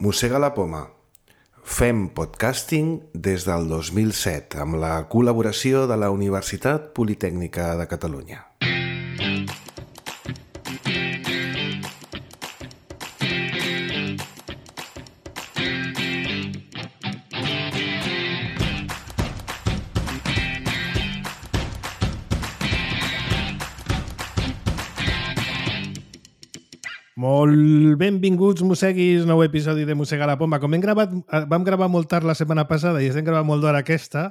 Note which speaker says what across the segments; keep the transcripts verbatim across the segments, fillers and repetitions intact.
Speaker 1: Mossega la poma. Fem podcasting des del dos mil set amb la col·laboració de la Universitat Politècnica de Catalunya.
Speaker 2: Molt benvinguts, mosseguis, nou episodi de Mossega la Poma. Com hem gravat, vam gravar molt tard la setmana passada i estem gravant molt d'hora aquesta,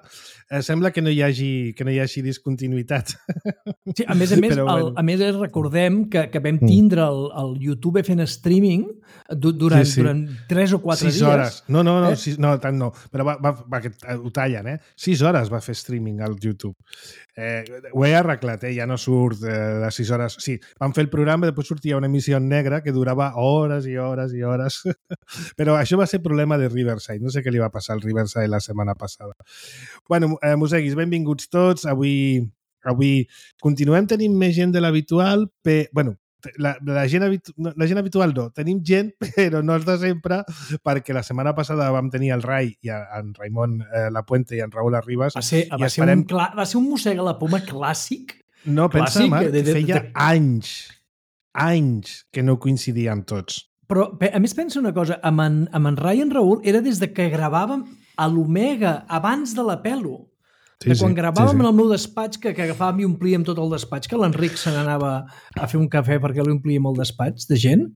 Speaker 2: eh, sembla que no hi hagi, que no hi hagi discontinuïtat.
Speaker 3: Sí, a més a més,
Speaker 2: Però,
Speaker 3: el,
Speaker 2: bueno.
Speaker 3: a més recordem que, que vam tindre el, el YouTube fent streaming durant,
Speaker 2: Sí, sí.
Speaker 3: durant tres o quatre
Speaker 2: sis
Speaker 3: dies.
Speaker 2: hores. No, no, no,
Speaker 3: Eh?
Speaker 2: sis, no, tant no. Però va, va, va, que ho tallen, eh? Sis hores va fer streaming al YouTube. Eh, ho he arreglat, eh? Ja no surt eh, de sis hores. Sí, vam fer el programa i després sortia una emissió negra que durava hores i hores i hores. Però això va ser problema de Riverside. No sé què li va passar al Riverside la setmana passada. Bueno, eh, mosseguis, benvinguts tots. Avui, avui continuem tenint més gent de l'habitual. Pe... Bueno, la, la, gent habitu... la gent habitual no. Tenim gent, però no els de sempre, perquè la setmana passada vam tenir el Rai i en Raimon eh, Lapuente i en Raül Arribas.
Speaker 3: Va ser, va, ser
Speaker 2: esperem...
Speaker 3: un clà, va ser un Mossega la Poma clàssic.
Speaker 2: No, pensa,
Speaker 3: clàssic,
Speaker 2: Marc,
Speaker 3: de- de-
Speaker 2: feia
Speaker 3: de-
Speaker 2: anys, anys que no coincidíem tots.
Speaker 3: Però, pe- a més, pensa una cosa, amb en, amb en Rai i en Raül era des de que gravàvem a l'Omega, abans de la Pelo.
Speaker 2: Sí,
Speaker 3: de quan
Speaker 2: sí,
Speaker 3: gravàvem
Speaker 2: sí, sí.
Speaker 3: en el meu despatx, que, que agafàvem i omplíem tot el despatx, que l'Enric se n'anava a fer un cafè perquè li omplíem el despatx de gent.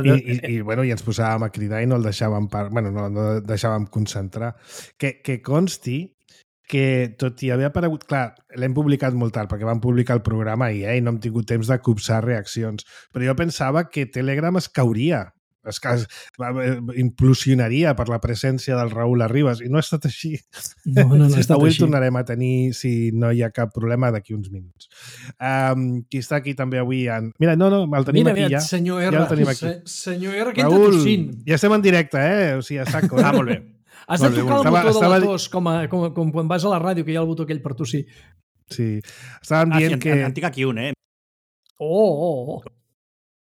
Speaker 2: I, i, i, bueno, i ens posàvem a cridar i no el deixàvem, par... bueno, no, no el deixàvem concentrar. Que, que consti que tot i haver aparegut... Clar, l'hem publicat molt tard, perquè vam publicar el programa ahir, eh, i no hem tingut temps de copsar reaccions. Però jo pensava que Telegram es cauria, es, es implosionaria per la presència del Raül Arribas, i no ha estat així.
Speaker 3: No, no, no ha estat
Speaker 2: Avui
Speaker 3: així.
Speaker 2: el tornarem a tenir, si no hi ha cap problema, d'aquí uns minuts. Um, qui està aquí també avui... En... Mira, no, no, el tenim
Speaker 3: Mira,
Speaker 2: aquí
Speaker 3: mira,
Speaker 2: ja.
Speaker 3: senyor
Speaker 2: Ja
Speaker 3: R,
Speaker 2: el tenim aquí.
Speaker 3: se, senyor R, que entra
Speaker 2: Raül,
Speaker 3: tossint.
Speaker 2: ja estem en directe, eh? O sigui, a saco. Eh?
Speaker 4: Ah, molt bé.
Speaker 3: Has de
Speaker 2: Molt bé,
Speaker 3: tocar el
Speaker 2: estava-
Speaker 3: botó
Speaker 2: estava
Speaker 3: de
Speaker 2: di-
Speaker 3: la tos, com, a, com, a, com quan vas a la ràdio, que hi ha el botó aquell per tossir.
Speaker 2: Sí. Estàvem
Speaker 4: Ah, sí,
Speaker 2: dient
Speaker 4: en,
Speaker 2: que...
Speaker 4: en tinc aquí un, eh?
Speaker 3: Oh, oh, oh.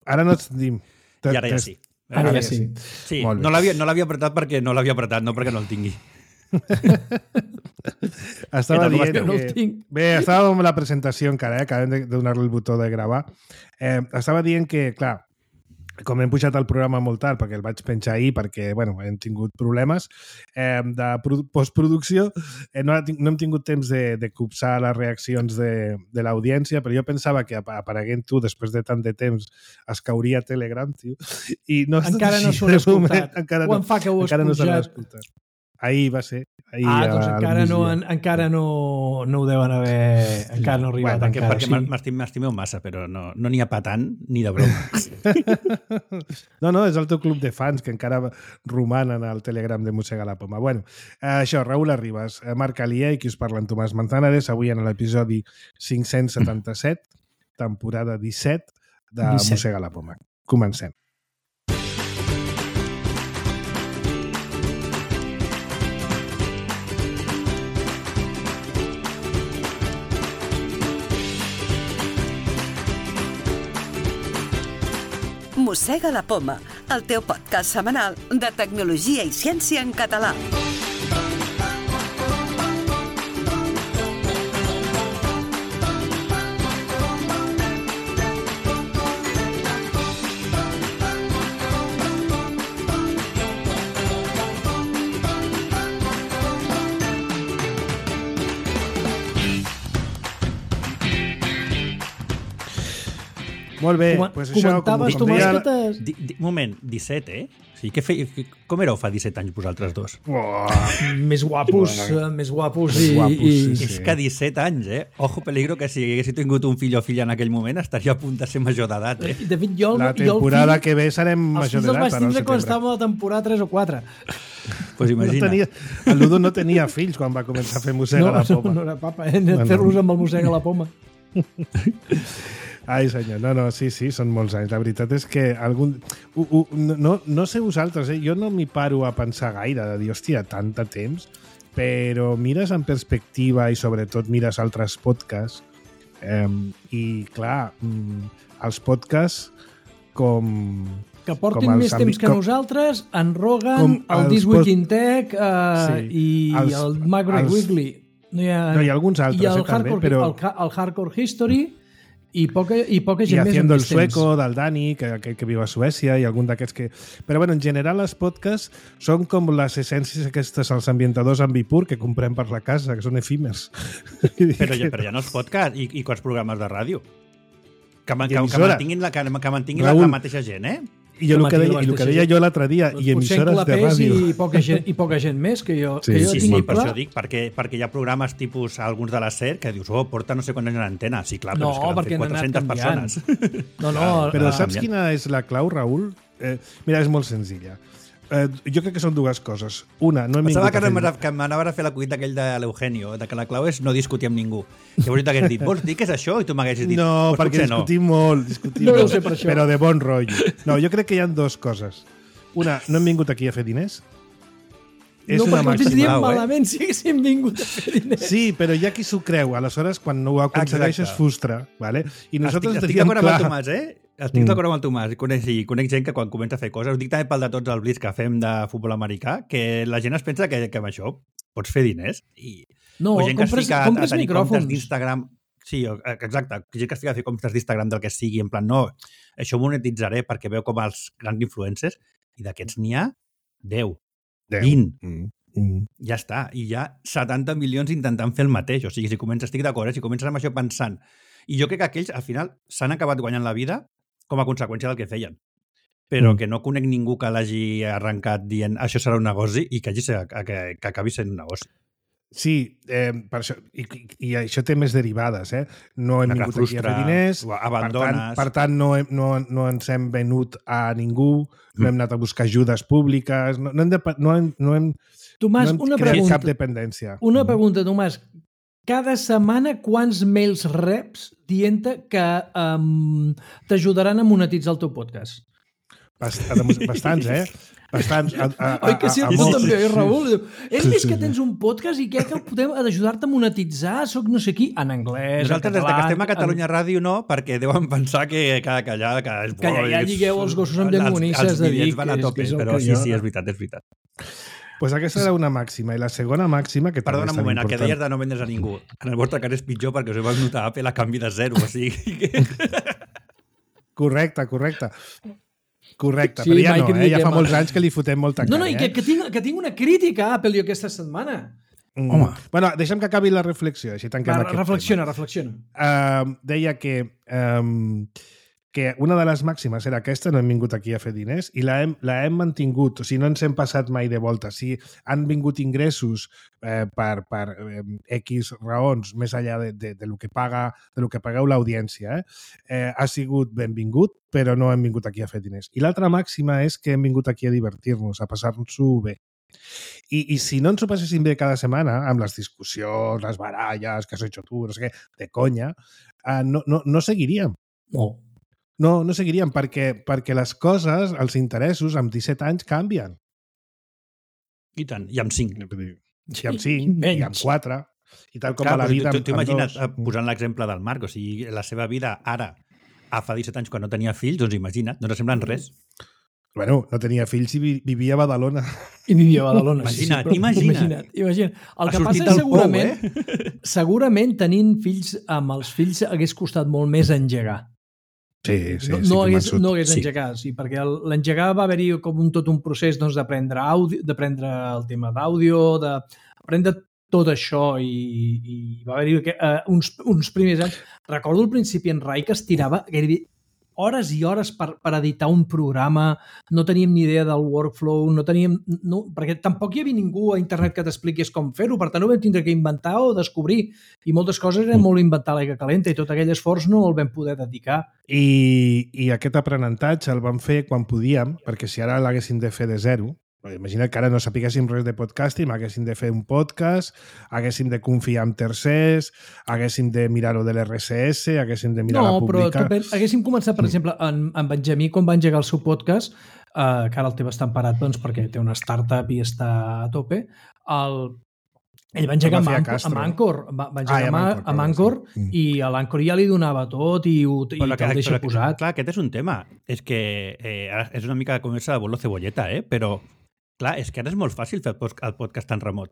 Speaker 2: Ara no et sentim.
Speaker 4: I ara ja sí.
Speaker 3: Ara ja sí.
Speaker 4: Sí,
Speaker 2: Molt bé.
Speaker 4: no l'havia no l'havia apretat perquè no l'havia apretat, no perquè no el tingui.
Speaker 2: Estava
Speaker 4: Què tal, com
Speaker 2: dient
Speaker 4: esteu?
Speaker 3: No el
Speaker 2: que...
Speaker 3: tinc.
Speaker 2: Bé, estàvem amb la presentació encara, eh? Acabem de donar-li el botó de gravar. Eh, estava dient que, clar, com hem pujat el programa molt tard, perquè el vaig penjar ahir, perquè, bueno, hem tingut problemes eh, de produ- postproducció, eh, no, ha ting- no hem tingut temps de, de copsar les reaccions de, de l'audiència, però jo pensava que apa- apareguent tu, després de tant de temps, es cauria Telegram, tio, i no ha estat
Speaker 3: Encara no
Speaker 2: així,
Speaker 3: s'ho han
Speaker 2: de moment,
Speaker 3: escoltat.
Speaker 2: encara
Speaker 3: Quan
Speaker 2: no,
Speaker 3: fa que ho has
Speaker 2: encara no se l'ha
Speaker 3: pujat?
Speaker 2: escoltat. Ahir va ser. Ahir
Speaker 3: Ah, doncs
Speaker 2: al
Speaker 3: encara no,
Speaker 2: migdia.
Speaker 3: en, encara no, no ho deuen haver... Encara no ha arribat.
Speaker 4: Bueno, perquè
Speaker 3: encara,
Speaker 4: perquè
Speaker 3: sí.
Speaker 4: m'estim- m'estimeu massa, però no no n'hi ha pa tant ni de broma.
Speaker 2: No, no, és el teu club de fans que encara romanen al Telegram de Mossega la Poma. Bueno, eh, això, Raül Arribas, eh, Marc Alier i qui us parla en Tomàs Manzanares, avui en l'episodi cinc-cents setanta-set, temporada disset de
Speaker 3: disset.
Speaker 2: Mossega la Poma. Comencem.
Speaker 5: Mossega la Poma, el teu podcast setmanal de tecnologia i ciència en català.
Speaker 2: Molt bé,
Speaker 3: Com-
Speaker 2: pues això, com,
Speaker 3: comentaves,
Speaker 2: com
Speaker 3: Tomàs,
Speaker 2: deia...
Speaker 3: que t'has...
Speaker 4: Di, di, moment, disset, eh? O sigui, què fei, com éreu fa disset anys vosaltres dos?
Speaker 2: Oh,
Speaker 3: Més guapos, eh, més guapos i...
Speaker 2: Més guapos,
Speaker 3: i...
Speaker 2: sí, sí.
Speaker 4: És que disset anys, eh? Ojo peligro que si haguessi tingut un fill o filla en aquell moment estaria a punt de ser major d'edat, eh?
Speaker 3: De fet, jo,
Speaker 2: la
Speaker 3: jo el
Speaker 2: temporada
Speaker 3: fill,
Speaker 2: que ve serem
Speaker 3: els
Speaker 2: major
Speaker 3: fills els
Speaker 2: d'edat.
Speaker 3: vaig
Speaker 2: ara al
Speaker 3: tindre quan
Speaker 2: setembre.
Speaker 3: estàvem a la temporada tres o quatre.
Speaker 4: Pues
Speaker 2: No
Speaker 4: imagina.
Speaker 2: tenia, el Ludo no tenia fills quan va començar a fer Mossega
Speaker 3: No,
Speaker 2: la
Speaker 3: no,
Speaker 2: Poma.
Speaker 3: no era papa, eh? Bueno. Fer-los amb el mossega a la poma.
Speaker 2: Ai, senyor, no, no, sí, sí, són molts anys. La veritat és que algun... Uh, uh, no, no sé vosaltres, eh? Jo no m'hi paro a pensar gaire, de dir, hòstia, tant de temps, però mires en perspectiva i sobretot mires altres podcasts eh, i, clar, mm, els podcasts com,
Speaker 3: que portin més temps que com, nosaltres, en Rogan, el This Week in Tech uh, sí, i els, el Macro Weekly. No hi ha,
Speaker 2: no, hi ha alguns altres,
Speaker 3: i el,
Speaker 2: eh,
Speaker 3: hardcore,
Speaker 2: també, però...
Speaker 3: el, el Hardcore History i poca, i poca gent
Speaker 2: I
Speaker 3: més.
Speaker 2: I Haciendo el Sueco, del Dani, que, que, que viu a Suècia, i algun d'aquests que... Però, bueno, en general, els podcasts són com les essències aquestes, els ambientadors ambipur que comprem per la casa, que són efímers.
Speaker 4: Però ja, però ja no és podcast, i, i quants programes de ràdio? Que, que, que mantinguin, la, que, que mantinguin la, la mateixa gent, eh?
Speaker 2: I jo el que, deia, el que deia jo l'altre dia, doncs i emissores de ràdio.
Speaker 3: I poca, gent, I poca gent més, que jo,
Speaker 2: sí,
Speaker 3: que jo
Speaker 4: sí,
Speaker 3: tingui
Speaker 4: sí, per
Speaker 3: clar.
Speaker 4: això dic, perquè, perquè hi ha programes tipus alguns de la SER que dius, oh, porta no sé quants anys en antena. Sí, clar,
Speaker 3: no,
Speaker 4: però és que l'han fet quatre-centes persones.
Speaker 3: No, no.
Speaker 2: Però saps quina és la clau, Raül? Eh, mira, és molt senzilla. Eh, jo crec que són dues coses. Una, no hem
Speaker 4: Pensava
Speaker 2: vingut
Speaker 4: que,
Speaker 2: a fer...
Speaker 4: que m'anaves a fer l'acudit d'aquell de l'Eugenio, de que la clau és no discutir amb ningú. Llavors t'hagués dit, vols dir que és això? I tu m'haguessis dit,
Speaker 2: no,
Speaker 4: pues
Speaker 2: perquè discutim
Speaker 4: no.
Speaker 2: molt, discutim
Speaker 3: no
Speaker 2: molt,
Speaker 3: sé per això.
Speaker 2: Però de bon rotllo. No, jo crec que hi ha dues coses. Una, no hem vingut aquí a fer diners.
Speaker 3: És no, una perquè ho tindríem eh? malament si haguéssim vingut a fer diners.
Speaker 2: Sí, però hi ha qui s'ho creu. Aleshores, quan no ho aconsegueix, es frustra. Vale? I nosaltres
Speaker 4: estic,
Speaker 2: teníem
Speaker 4: estic
Speaker 2: clar...
Speaker 4: Amb el Tomàs, eh? Estic mm. d'acord amb el Tomàs. Conec, sí, conec gent que quan comença a fer coses, ho dic també pel de tots els blitz que fem de futbol americà, que la gent es pensa que, que amb això pots fer diners. I,
Speaker 3: no,
Speaker 4: o gent
Speaker 3: compres,
Speaker 4: que es fica
Speaker 3: compres
Speaker 4: a tenir
Speaker 3: micròfons.
Speaker 4: Comptes d'Instagram. Sí, exacte. Gent que es fica a fer comptes d'Instagram del que sigui, en plan, no, això monetitzaré perquè veu com els grans influencers, i d'aquests n'hi ha deu, vint. Mm. Mm. Ja està. I hi ha setanta milions intentant fer el mateix. O sigui, si comences, estic d'acord, eh? Si comences amb això pensant. I jo crec que aquells, al final, s'han acabat guanyant la vida com a conseqüència del que feien. Però mm. que no conec ningú que l'hagi arrencat dient això serà un negoci i que, hagi ser, que, que acabi sent un negoci.
Speaker 2: Sí, eh, per això, i, i això té més derivades, eh? No hem vingut aquí a fer diners,
Speaker 4: abandones.
Speaker 2: Per tant, per tant no, hem, no, no ens hem venut a ningú, mm. no hem anat a buscar ajudes públiques, no, no hem, de, no hem, no hem,
Speaker 3: Tomàs,
Speaker 2: no hem
Speaker 3: una
Speaker 2: creat
Speaker 3: pregunta,
Speaker 2: cap dependència.
Speaker 3: Una pregunta, Tomàs. Cada setmana quants mails reps dient que um, t'ajudaran a monetitzar el teu podcast?
Speaker 2: Bastants, eh? Bastants. A, a, a,
Speaker 3: Oi que sí,
Speaker 2: a, a
Speaker 3: tu també, eh, Raül? És
Speaker 2: sí,
Speaker 3: més
Speaker 2: sí,
Speaker 3: que tens un podcast i què que podem ajudar-te a monetitzar? Soc no sé qui, en anglès,
Speaker 4: nosaltres,
Speaker 3: en català...
Speaker 4: Nosaltres, des que estem a Catalunya en... Ràdio, no, perquè deuen pensar que, que, que allà... Que, és
Speaker 3: que allà ja lligueu els gossos amb llengonisses
Speaker 4: de dir... Els bitllets van a tope, però sí, sí, és veritat, és veritat.
Speaker 2: Pues aquesta era una màxima. I la segona màxima... que
Speaker 4: Perdona un moment, el que deies de no vendre's a ningú. En el vostre cas és pitjor perquè us heu notat a Apple a canvi de zero. O sigui...
Speaker 2: Correcte, correcte. Correcte,
Speaker 3: sí,
Speaker 2: però ja no, eh? Ja fa
Speaker 3: mà.
Speaker 2: molts anys que li fotem molta cara.
Speaker 3: No, no, i que,
Speaker 2: eh?
Speaker 3: que, tinc, que tinc una crítica a Apple jo aquesta setmana.
Speaker 2: Mm. Home. Bueno, deixa'm que acabi la reflexió, així tanquem
Speaker 3: Va,
Speaker 2: aquest
Speaker 3: reflexiona,
Speaker 2: tema.
Speaker 3: reflexiona.
Speaker 2: Uh, deia que, um, que una de les màximes era aquesta, no hem vingut aquí a fer diners, i la hem, la hem mantingut, o sigui, no ens hem passat mai de volta. Si han vingut ingressos eh, per, per eh, X raons, més enllà de, de, de, lo que paga, de lo que pagueu l'audiència, eh, eh, ha sigut benvingut, però no hem vingut aquí a fer diners. I l'altra màxima és que hem vingut aquí a divertir-nos, a passar-nos-ho bé. I, I si no ens ho passéssim bé cada setmana, amb les discussions, les baralles, que has hecho tu, no sé què, de conya, eh, no, no, no seguiríem.
Speaker 3: No.
Speaker 2: No, no seguiríem, perquè, perquè les coses, els interessos, amb disset anys canvien.
Speaker 4: I tant, i amb cinc.
Speaker 2: I amb cinc, i amb quatre, i tal com
Speaker 4: Clar,
Speaker 2: a la vida
Speaker 4: tu,
Speaker 2: amb,
Speaker 4: tu imagina't,
Speaker 2: amb dos.
Speaker 4: Posant l'exemple del Marc, o sigui, la seva vida ara, a fa disset anys, quan no tenia fills, doncs imagina't, no semblen res.
Speaker 2: Bueno, no tenia fills i vivia a Badalona.
Speaker 3: I vivia a Badalona.
Speaker 4: Imagina't,
Speaker 3: sí, sí,
Speaker 4: imagina't.
Speaker 3: imagina't. imagina't. El que passa és segurament, pou, eh? segurament tenint fills amb els fills hagués costat molt més engegar.
Speaker 2: Sí, sí,
Speaker 3: no,
Speaker 2: sí,
Speaker 3: no hagués, no hagués
Speaker 4: sí.
Speaker 3: engegar, sí, perquè l'engegar va haver-hi com un, tot un procés doncs, d'aprendre àudio, d'aprendre el tema d'àudio, d'aprendre tot això i, i va haver-hi uh, uns, uns primers anys. Recordo al principi en Rai que es tirava gairebé hores i hores per, per editar un programa, no teníem ni idea del workflow, no teníem... No, perquè tampoc hi havia ningú a internet que t'expliqués com fer-ho, per tant ho vam tindre que inventar o descobrir. I moltes coses eren molt inventar l'aigua calenta i tot aquell esforç no el vam poder dedicar.
Speaker 2: I, i aquest aprenentatge el vam fer quan podíem, perquè si ara l'haguéssim de fer de zero, imagina't que ara no sapiguéssim res de podcasting, haguéssim de fer un podcast, haguéssim de confiar en tercers, haguéssim de mirar-ho de l'R S S, haguéssim de mirar
Speaker 3: no,
Speaker 2: la publicar...
Speaker 3: No, però haguéssim començat, per exemple, en, en Benjamí, quan va engegar el seu podcast, eh, que ara el té bastant parat doncs, perquè té una startup i està a tope, el, Ell va engegar
Speaker 2: Va fer a
Speaker 3: amb,
Speaker 2: Castro.
Speaker 3: amb Anchor, va, va engegar
Speaker 2: Ah, i amb
Speaker 3: amb,
Speaker 2: Anchor,
Speaker 3: amb
Speaker 2: perdó,
Speaker 3: Anchor
Speaker 2: sí. Mm.
Speaker 3: i a l'Anchor ja li donava tot i, ho- i
Speaker 4: Però
Speaker 3: te'l deixa
Speaker 4: però
Speaker 3: posat.
Speaker 4: Clar, aquest és un tema. És que eh, ara és una mica com esa de bolo cebolleta, eh? Però, clar, és que ara és molt fàcil fer el post- el podcast en remot.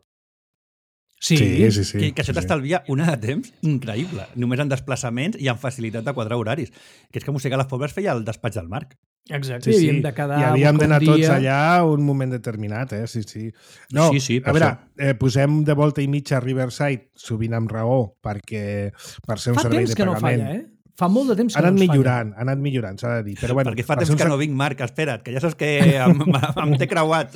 Speaker 3: Sí,
Speaker 2: Sí, sí, sí.
Speaker 4: que, que això
Speaker 2: sí, sí.
Speaker 4: t'estalvia una de temps increïble. Només en desplaçaments i en facilitat de quadrar horaris. Que és que Mossega les Pobres feia el despatx del Marc.
Speaker 3: exacte.
Speaker 2: Sí,
Speaker 3: I
Speaker 2: sí.
Speaker 3: havíem de quedar
Speaker 2: I havíem
Speaker 3: buscar
Speaker 2: d'anar
Speaker 3: un
Speaker 2: tots
Speaker 3: dia.
Speaker 2: allà a un moment determinat, eh? Sí, sí. No,
Speaker 4: Sí, sí, per
Speaker 2: a veure,
Speaker 4: això.
Speaker 2: eh, posem de volta i mitja a Riverside, sovint amb raó, perquè per ser un
Speaker 3: Fa
Speaker 2: servei
Speaker 3: temps
Speaker 2: de
Speaker 3: que no
Speaker 2: pagament...
Speaker 3: falla, eh? Fa molt de temps que
Speaker 2: Ha anat
Speaker 3: no ens
Speaker 2: millorant, ha anat millorant, s'ha de dir. Però bueno,
Speaker 4: Perquè fa
Speaker 2: per
Speaker 4: temps
Speaker 2: ser un
Speaker 4: que
Speaker 2: ser-
Speaker 4: no vinc, Marc, espera't, que ja saps que em, em, em té creuat.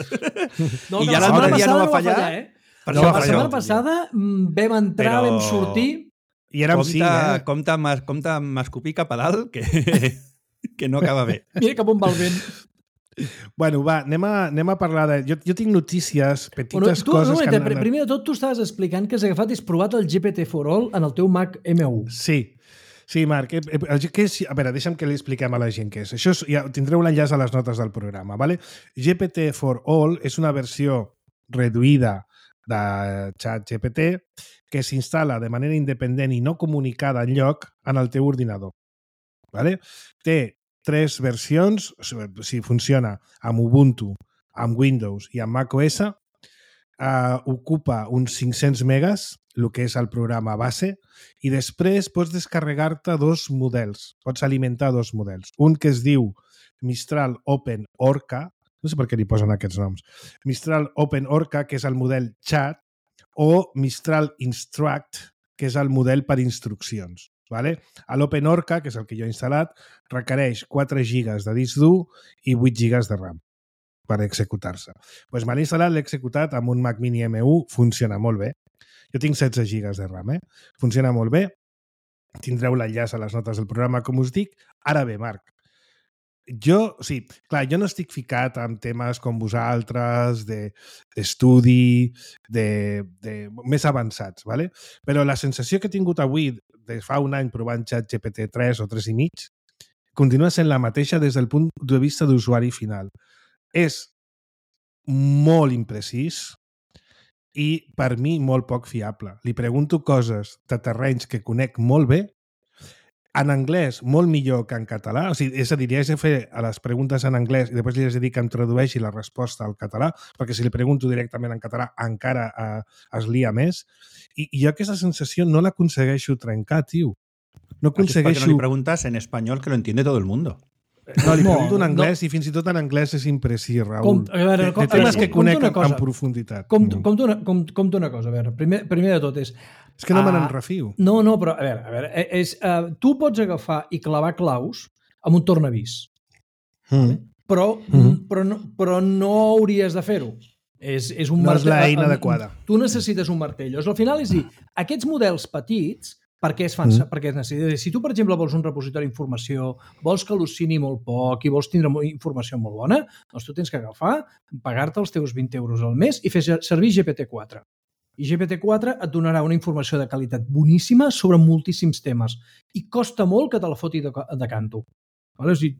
Speaker 3: No,
Speaker 4: I
Speaker 3: que
Speaker 4: ja
Speaker 3: la setmana
Speaker 4: l'altre dia no
Speaker 3: passada
Speaker 4: va fallar.
Speaker 3: eh?
Speaker 4: Per
Speaker 2: No
Speaker 4: això
Speaker 2: va
Speaker 3: La
Speaker 2: fallar.
Speaker 3: setmana passada mm, vam entrar,
Speaker 4: Però-
Speaker 3: vam sortir...
Speaker 2: I érem
Speaker 4: compte,
Speaker 2: cinc, eh?
Speaker 4: compte, amb- compte amb escopir cap a dalt, que, que no acaba bé.
Speaker 3: Mira cap on va el vent.
Speaker 2: Bueno, va, anem a, anem a parlar de... Jo, jo tinc notícies, petites
Speaker 3: Bueno, tu,
Speaker 2: coses
Speaker 3: no,
Speaker 2: que
Speaker 3: que
Speaker 2: han anat...
Speaker 3: primer de tot, tu estaves explicant que has agafat i has provat el G P T for All en el teu Mac M u.
Speaker 2: Sí, sí, Marc. eh, eh, el que és, a veure, deixa'm que li expliquem a la gent què és. Això és, ja tindreu l'enllaç a les notes del programa. ¿vale? G P T for All és una versió reduïda de ChatGPT que s'instal·la de manera independent i no comunicada enlloc en el teu ordinador. ¿vale? Té tres versions, si funciona amb Ubuntu, amb Windows i amb macOS, eh, ocupa uns cinc-cents megas, el que és el programa base, i després pots descarregar-te dos models, pots alimentar dos models. Un que es diu Mistral Open Orca, no sé per què li posen aquests noms, Mistral Open Orca, que és el model chat, o Mistral Instruct, que és el model per instruccions. Vale? L'Open Orca, que és el que jo he instal·lat, requereix quatre gigas de disc dur i vuit gigas de RAM per executar-se. Pues me l'he instal·lat, l'he executat amb un Mac Mini M u, funciona molt bé. Jo tinc setze gigas de RAM, eh? Funciona molt bé. Tindreu l'enllaç a les notes del programa, com us dic. Ara bé, Marc, jo, o sigui, clar, jo no estic ficat en temes com vosaltres, d'estudi, de, de, més avançats, ¿vale? Però la sensació que he tingut avui, de fa un any provant ChatGPT tres o tres i mig, continua sent la mateixa des del punt de vista d'usuari final. És molt imprecís i, per mi, molt poc fiable. Li pregunto coses de terrenys que conec molt bé, en anglès molt millor que en català, o sigui, és a dir, li haig de fer a les preguntes en anglès i després li haig de dir que em tradueixi la resposta al català, perquè si li pregunto directament en català encara eh, es lia més. I, I jo aquesta sensació no l'aconsegueixo trencar, tio. No
Speaker 4: Això és perquè
Speaker 2: aconsegueixo...
Speaker 4: no li preguntas en espanyol, que lo entiende todo el mundo.
Speaker 2: No, li
Speaker 3: No,
Speaker 2: pregunto en anglès
Speaker 3: no.
Speaker 2: i fins i tot en anglès és imprecis, Raül.
Speaker 3: Com- a veure,
Speaker 2: de,
Speaker 3: com-
Speaker 2: de temes
Speaker 3: a veure,
Speaker 2: que
Speaker 3: com-
Speaker 2: conec
Speaker 3: compta una
Speaker 2: en,
Speaker 3: cosa.
Speaker 2: en profunditat.
Speaker 3: Com,
Speaker 2: Mm.
Speaker 3: com, una, com, com una cosa, a veure, primer, primer de tot és...
Speaker 2: És que no me
Speaker 3: Ah,
Speaker 2: n'en refio.
Speaker 3: No, no, però a veure, a veure és, uh, tu pots agafar i clavar claus amb un tornavís,
Speaker 2: Mm.
Speaker 3: però,
Speaker 2: Mhm.
Speaker 3: però, no, però no hauries de fer-ho. És, és un
Speaker 2: No és
Speaker 3: martell-
Speaker 2: l'eina
Speaker 3: eh,
Speaker 2: adequada.
Speaker 3: Tu necessites un martell. Llavors, al final és dir, aquests models petits, per què es fan?
Speaker 2: Mm.
Speaker 3: Mm. Perquè es necessita. Si tu, per exemple, vols un repositori d'informació, vols que al·lucini molt poc i vols tindre mo- informació molt bona, doncs tu tens que agafar, pagar-te els teus vint euros al mes i fer servir G P T quatre. I G P T quatre et donarà una informació de qualitat boníssima sobre moltíssims temes. I costa molt que te la foti de, de canto. Vale? O sigui,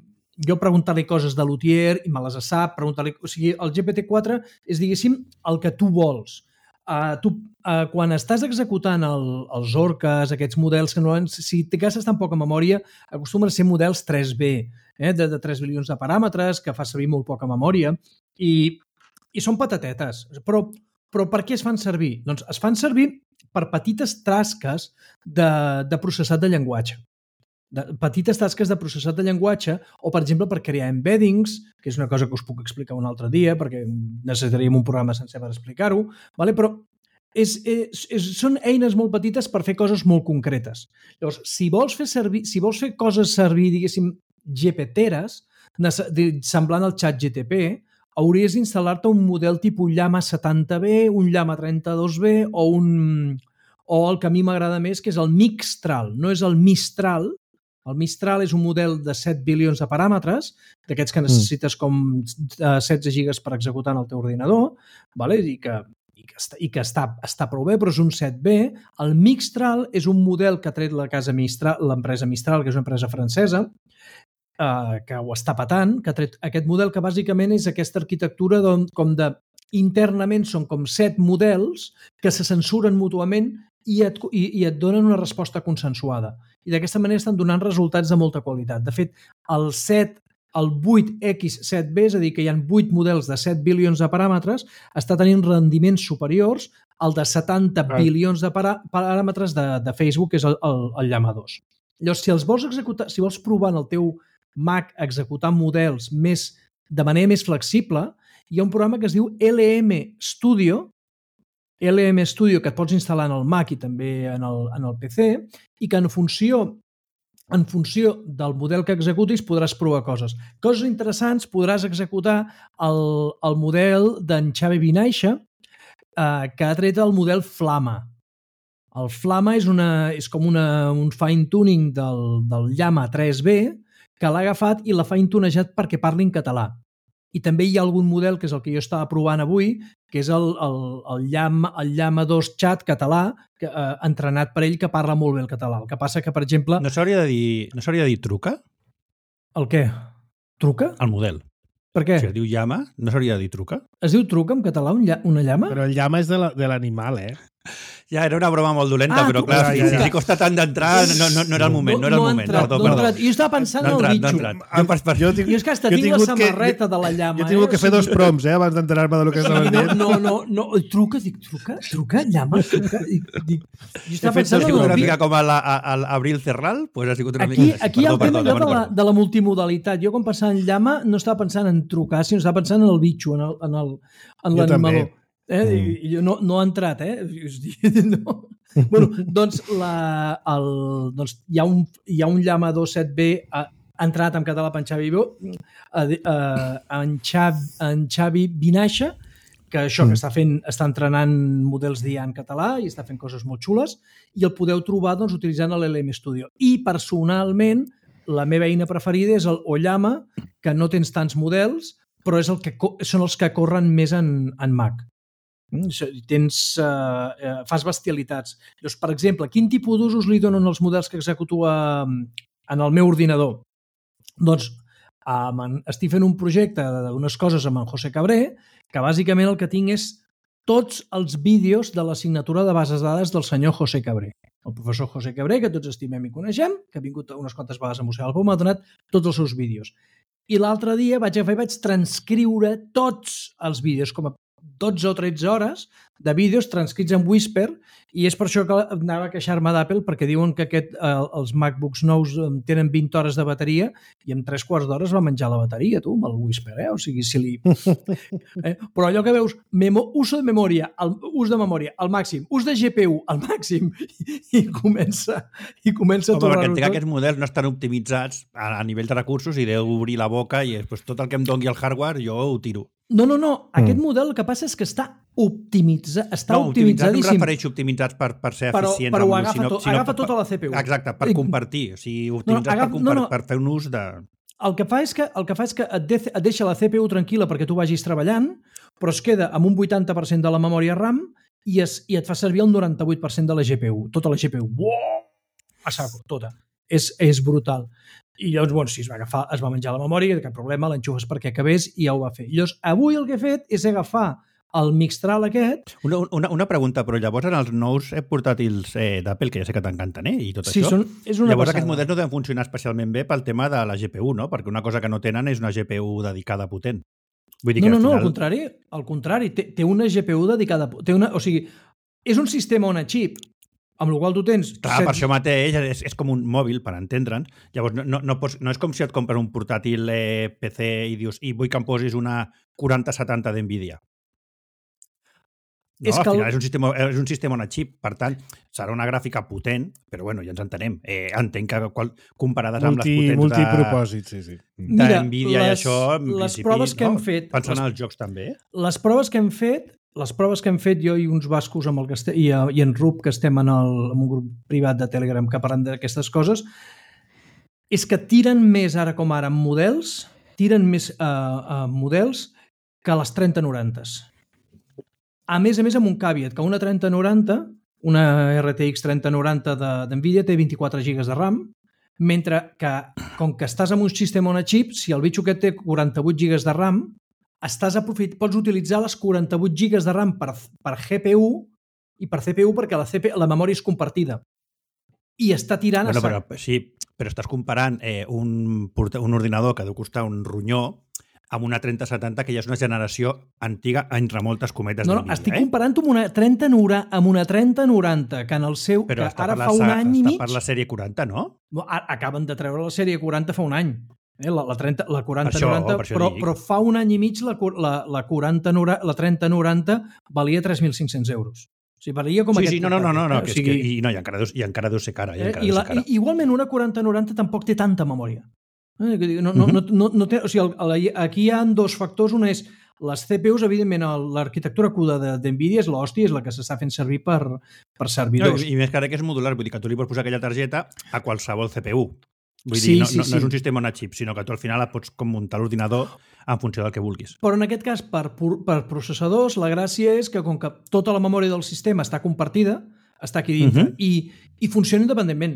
Speaker 3: jo preguntar-li coses de l'Utier i me les sap, preguntar-li... O sigui, el G P T quatre és, diguéssim, el que tu vols. Uh, tu, uh, quan estàs executant el, els orques, aquests models que no, si te gastes tan poca memòria, acostumen a ser models tres B, eh, de, de tres bilions de paràmetres, que fa servir molt poca memòria, i, i són patatetes. Però, però per què es fan servir? Doncs es fan servir per petites tasques de, de processat de llenguatge. De petites tasques de processat de llenguatge o, per exemple, per crear embeddings, que és una cosa que us puc explicar un altre dia perquè necessitaríem un programa sencer per explicar-ho, vale? Però és, és, és, són eines molt petites per fer coses molt concretes. Llavors, si vols fer, servir, si vols fer coses servir, diguéssim, G P T-eres, semblant al xat G T P, hauries d'instal·lar-te un model tipus Llama setanta B, un Llama trenta-dos B o un o el que a mi m'agrada més, que és el Mixtral. No és el Mistral. El Mistral és un model de set bilions de paràmetres, d'aquests que necessites com setze gigas per executar en el teu ordinador, vale? i que, i que, està, i que està, està prou bé, però és un set B. El Mixtral és un model que ha tret la casa Mistral, l'empresa Mistral, que és una empresa francesa, eh, que ho està patant, que ha tret aquest model que bàsicament és aquesta arquitectura com de internament són com set models que se censuren mútuament i et, i, i et donen una resposta consensuada. I d'aquesta manera estan donant resultats de molta qualitat. De fet, el set el vuit equis set be, és a dir, que hi ha vuit models de set bilions de paràmetres, està tenint rendiments superiors al de setanta ah. bilions de parà paràmetres de, de Facebook, que és el, el, el Llama dos. Llavors, si els vols executar, si vols provar en el teu Mac executar models més, de manera més flexible, hi ha un programa que es diu L M Studio, L M Studio que et pots instal·lar en el Mac i també en el, en el P C, i que en funció en funció del model que executis podràs provar coses. Coses interessants, podràs executar el, el model d'en Xavi Vinaixa, eh, que ha tret el model Flama. El Flama és, una, és com una, un fine-tuning del, del Llama tres be que l'ha agafat i l'ha fine-tunejat perquè parli en català. I també hi ha algun model, que és el que jo estava provant avui, que és el, el, el, Llama, el Llama dos Chat català, que, eh, entrenat per ell, que parla molt bé el català. El que passa que, per exemple...
Speaker 4: No s'hauria de dir, no s'hauria de dir truca?
Speaker 3: El què? Truca?
Speaker 4: El model.
Speaker 3: Per què?
Speaker 4: Si es diu llama, no s'hauria de dir truca?
Speaker 3: Es diu truca en català, un lla una llama?
Speaker 2: Però el llama és de l'animal, eh?
Speaker 4: Ja, era una broma molt dolenta,
Speaker 3: ah,
Speaker 4: però clar, si, si li costa tant d'entrar, no, no, no era el moment, no, no era el moment.
Speaker 3: No,
Speaker 4: perdó,
Speaker 3: no
Speaker 4: perdó.
Speaker 3: Jo estava pensant
Speaker 4: no
Speaker 3: en el
Speaker 4: bitxo.
Speaker 3: bitxo.
Speaker 4: No jo, per, per...
Speaker 2: jo, tinc,
Speaker 3: jo és que hasta tinc la samarreta que, de la llama.
Speaker 2: Jo he tingut
Speaker 3: eh?
Speaker 2: que fer dos proms, eh, abans d'enterar-me del que estava dient.
Speaker 3: No, no, no, truca, dic, truca, truca, llama, truca. Dic, dic, jo estava pensant
Speaker 4: en el
Speaker 3: bitxo.
Speaker 4: Com a l'Abril Cerral, pues ha sigut una
Speaker 3: aquí,
Speaker 4: mica...
Speaker 3: Aquí hi ha el tema de la, de la multimodalitat. Jo quan pensava en llama no estava pensant en trucar, sinó estava pensant en el bitxo, en l'animaló. Eh? Mm. I jo no, no ha entrat, eh? No. Bueno, doncs, la, el, doncs hi, ha un, hi ha un Llama dos set be ha entrat en català per en Xavi, en Xavi, en Xavi Vinaixa, que això, que està fent, està entrenant models d'I A en català i està fent coses molt xules, i el podeu trobar doncs, utilitzant l'L M Studio. I personalment, la meva eina preferida és el Ollama, que no tens tants models, però és el que, són els que corren més en, en Mac. Tens, eh, fas bestialitats. Llavors, per exemple, quin tipus d'usos li donen els models que executo a, en el meu ordinador? Doncs eh, estic fent un projecte d'unes coses amb en José Cabré, que bàsicament el que tinc és tots els vídeos de l'assignatura de bases de dades del senyor José Cabré. El professor José Cabré, que tots estimem i coneixem, que ha vingut unes quantes vegades a Museu del Pou, m'ha donat tots els seus vídeos. I l'altre dia vaig agafar i vaig transcriure tots els vídeos, com a dotze o tretze hores de vídeos transcrits en Whisper, i és per això que anava a queixar-me d'Apple, perquè diuen que aquest, eh, els MacBooks nous tenen vint hores de bateria i en tres quarts d'hores va menjar la bateria, tu, amb el Whisper, eh? O sigui, si li... eh? Però allò que veus, memo... ús de memòria, el... ús de memòria al màxim, ús de G P U al màxim, i comença, i comença
Speaker 4: Home,
Speaker 3: a tornar-ho
Speaker 4: perquè entenc
Speaker 3: tot.
Speaker 4: que aquests models no estan optimitzats a, a nivell de recursos i deu obrir la boca i pues, tot el que em doni el hardware jo ho tiro.
Speaker 3: No, no, no. Aquest mm. model el que passa és que està optimitzat, està
Speaker 4: no, optimitzat
Speaker 3: optimitzadíssim.
Speaker 4: No, em refereixo optimitzats per, per ser
Speaker 3: però,
Speaker 4: eficients.
Speaker 3: Però ho
Speaker 4: amb,
Speaker 3: agafa,
Speaker 4: sinó,
Speaker 3: tot,
Speaker 4: sinó
Speaker 3: agafa
Speaker 4: per,
Speaker 3: tota la C P U.
Speaker 4: Exacte, per compartir. O sigui, optimitzats
Speaker 3: no, no, agaf,
Speaker 4: per, compar,
Speaker 3: no, no.
Speaker 4: per fer un ús de...
Speaker 3: El que fa és que, el que, fa és que et, de, et deixa la C P U tranquil·la perquè tu vagis treballant, però es queda amb un vuitanta per cent de la memòria RAM i, es, i et fa servir el noranta-vuit per cent de la G P U. Tota la G P U. Uau! A saco, tota. És, és brutal. I llavors, bueno, si es va agafar, es va menjar la memòria, cap problema, l'enxufes perquè acabés i ja ho va fer. Llavors, avui el que he fet és agafar el Mixtral aquest...
Speaker 4: Una, una, una pregunta, però llavors en els nous portàtils eh, d'Apple, que ja sé que t'encanten, eh, i tot
Speaker 3: sí,
Speaker 4: això,
Speaker 3: són, és una
Speaker 4: llavors
Speaker 3: passada.
Speaker 4: Aquests models no deuen funcionar especialment bé pel tema de la G P U, no? Perquè una cosa que no tenen és una G P U dedicada potent. Vull dir
Speaker 3: no,
Speaker 4: que
Speaker 3: no,
Speaker 4: al
Speaker 3: no,
Speaker 4: final...
Speaker 3: al contrari, al contrari, té, té una G P U dedicada... Té una, o sigui, és un sistema on a xip, amb el qual tu tens...
Speaker 4: Clar, set... per això mateix és, és com un mòbil, per entendre'ns. Llavors, no, no, no, pots, no és com si et compres un portàtil eh, P C i dius i vull que em posis una quaranta setanta d'Nvidia. No, és al final el... és, un sistema, és un sistema on a xip, per tant, serà una gràfica potent, però bueno, ja ens entenem. Eh, entenc que qual, comparades
Speaker 2: Multi,
Speaker 4: amb les potents
Speaker 2: multipropòsit, sí, sí.
Speaker 4: d'Nvidia i això, en
Speaker 3: les
Speaker 4: principi,
Speaker 3: proves que
Speaker 4: no?
Speaker 3: hem fet...
Speaker 4: Pensant
Speaker 3: les,
Speaker 4: en els jocs també.
Speaker 3: Les proves que hem fet Les proves que hem fet jo i uns bascos amb el que estem, i, i en Rup, que estem en, el, en un grup privat de Telegram que parlen d'aquestes coses, és que tiren més ara com ara amb models, tiren més uh, uh, models que les trenta noranta. A més a més, amb un caveat, que una trenta noranta, una R T X trenta noranta d'Nvidia té vint-i-quatre gigas de RAM, mentre que, com que estàs amb un sistema on a xip, si el bitxo aquest té quaranta-vuit gigas de RAM, estàs aprofit... pots utilitzar les quaranta-vuit gigas de RAM per, per G P U i per C P U perquè la, C P... la memòria és compartida. I està tirant
Speaker 4: bueno,
Speaker 3: a sac.
Speaker 4: Però, sí, però estàs comparant eh, un, un ordinador que deu costar un ronyó amb una trenta setanta que ja és una generació antiga entre moltes cometes
Speaker 3: no, no,
Speaker 4: d'Nvidia.
Speaker 3: estic
Speaker 4: eh?
Speaker 3: comparant amb una trenta noranta, que en el seu...
Speaker 4: Però
Speaker 3: que ara
Speaker 4: la,
Speaker 3: fa un any i mig...
Speaker 4: Està per la sèrie quaranta, no?
Speaker 3: Acaben de treure la sèrie quaranta fa un any. Eh? La, la, trenta, la quaranta
Speaker 4: això,
Speaker 3: noranta,
Speaker 4: per
Speaker 3: però, però fa un any i mig la, la, la, quaranta, la trenta noranta valia tres mil cinc-cents euros. O sigui, valia com
Speaker 4: sí,
Speaker 3: aquest
Speaker 4: sí, no, no, no, no, no,
Speaker 3: eh?
Speaker 4: que
Speaker 3: o sigui,
Speaker 4: és que, i, no, i, encara deu, i encara deu ser cara. I,
Speaker 3: eh? I, la,
Speaker 4: cara.
Speaker 3: I igualment una quaranta noranta tampoc té tanta memòria. Eh? No, no, no, no, no té, o sigui, el, aquí hi ha dos factors. Una és les C P Us, evidentment, l'arquitectura CUDA d'Nvidia és l'hòstia, és la que s'està fent servir per, per servidors.
Speaker 4: No, I més que ara que és modular, vull dir que tu li pots posar aquella targeta a qualsevol C P U. Vull
Speaker 3: sí,
Speaker 4: dir, no,
Speaker 3: sí,
Speaker 4: no,
Speaker 3: sí.
Speaker 4: no és un sistema on a xip, sinó que tu al final pots com muntar l'ordinador en funció del que vulguis.
Speaker 3: Però en aquest cas, per, per processadors, la gràcia és que com que tota la memòria del sistema està compartida, està aquí dintre, uh-huh. i, i funciona independentment.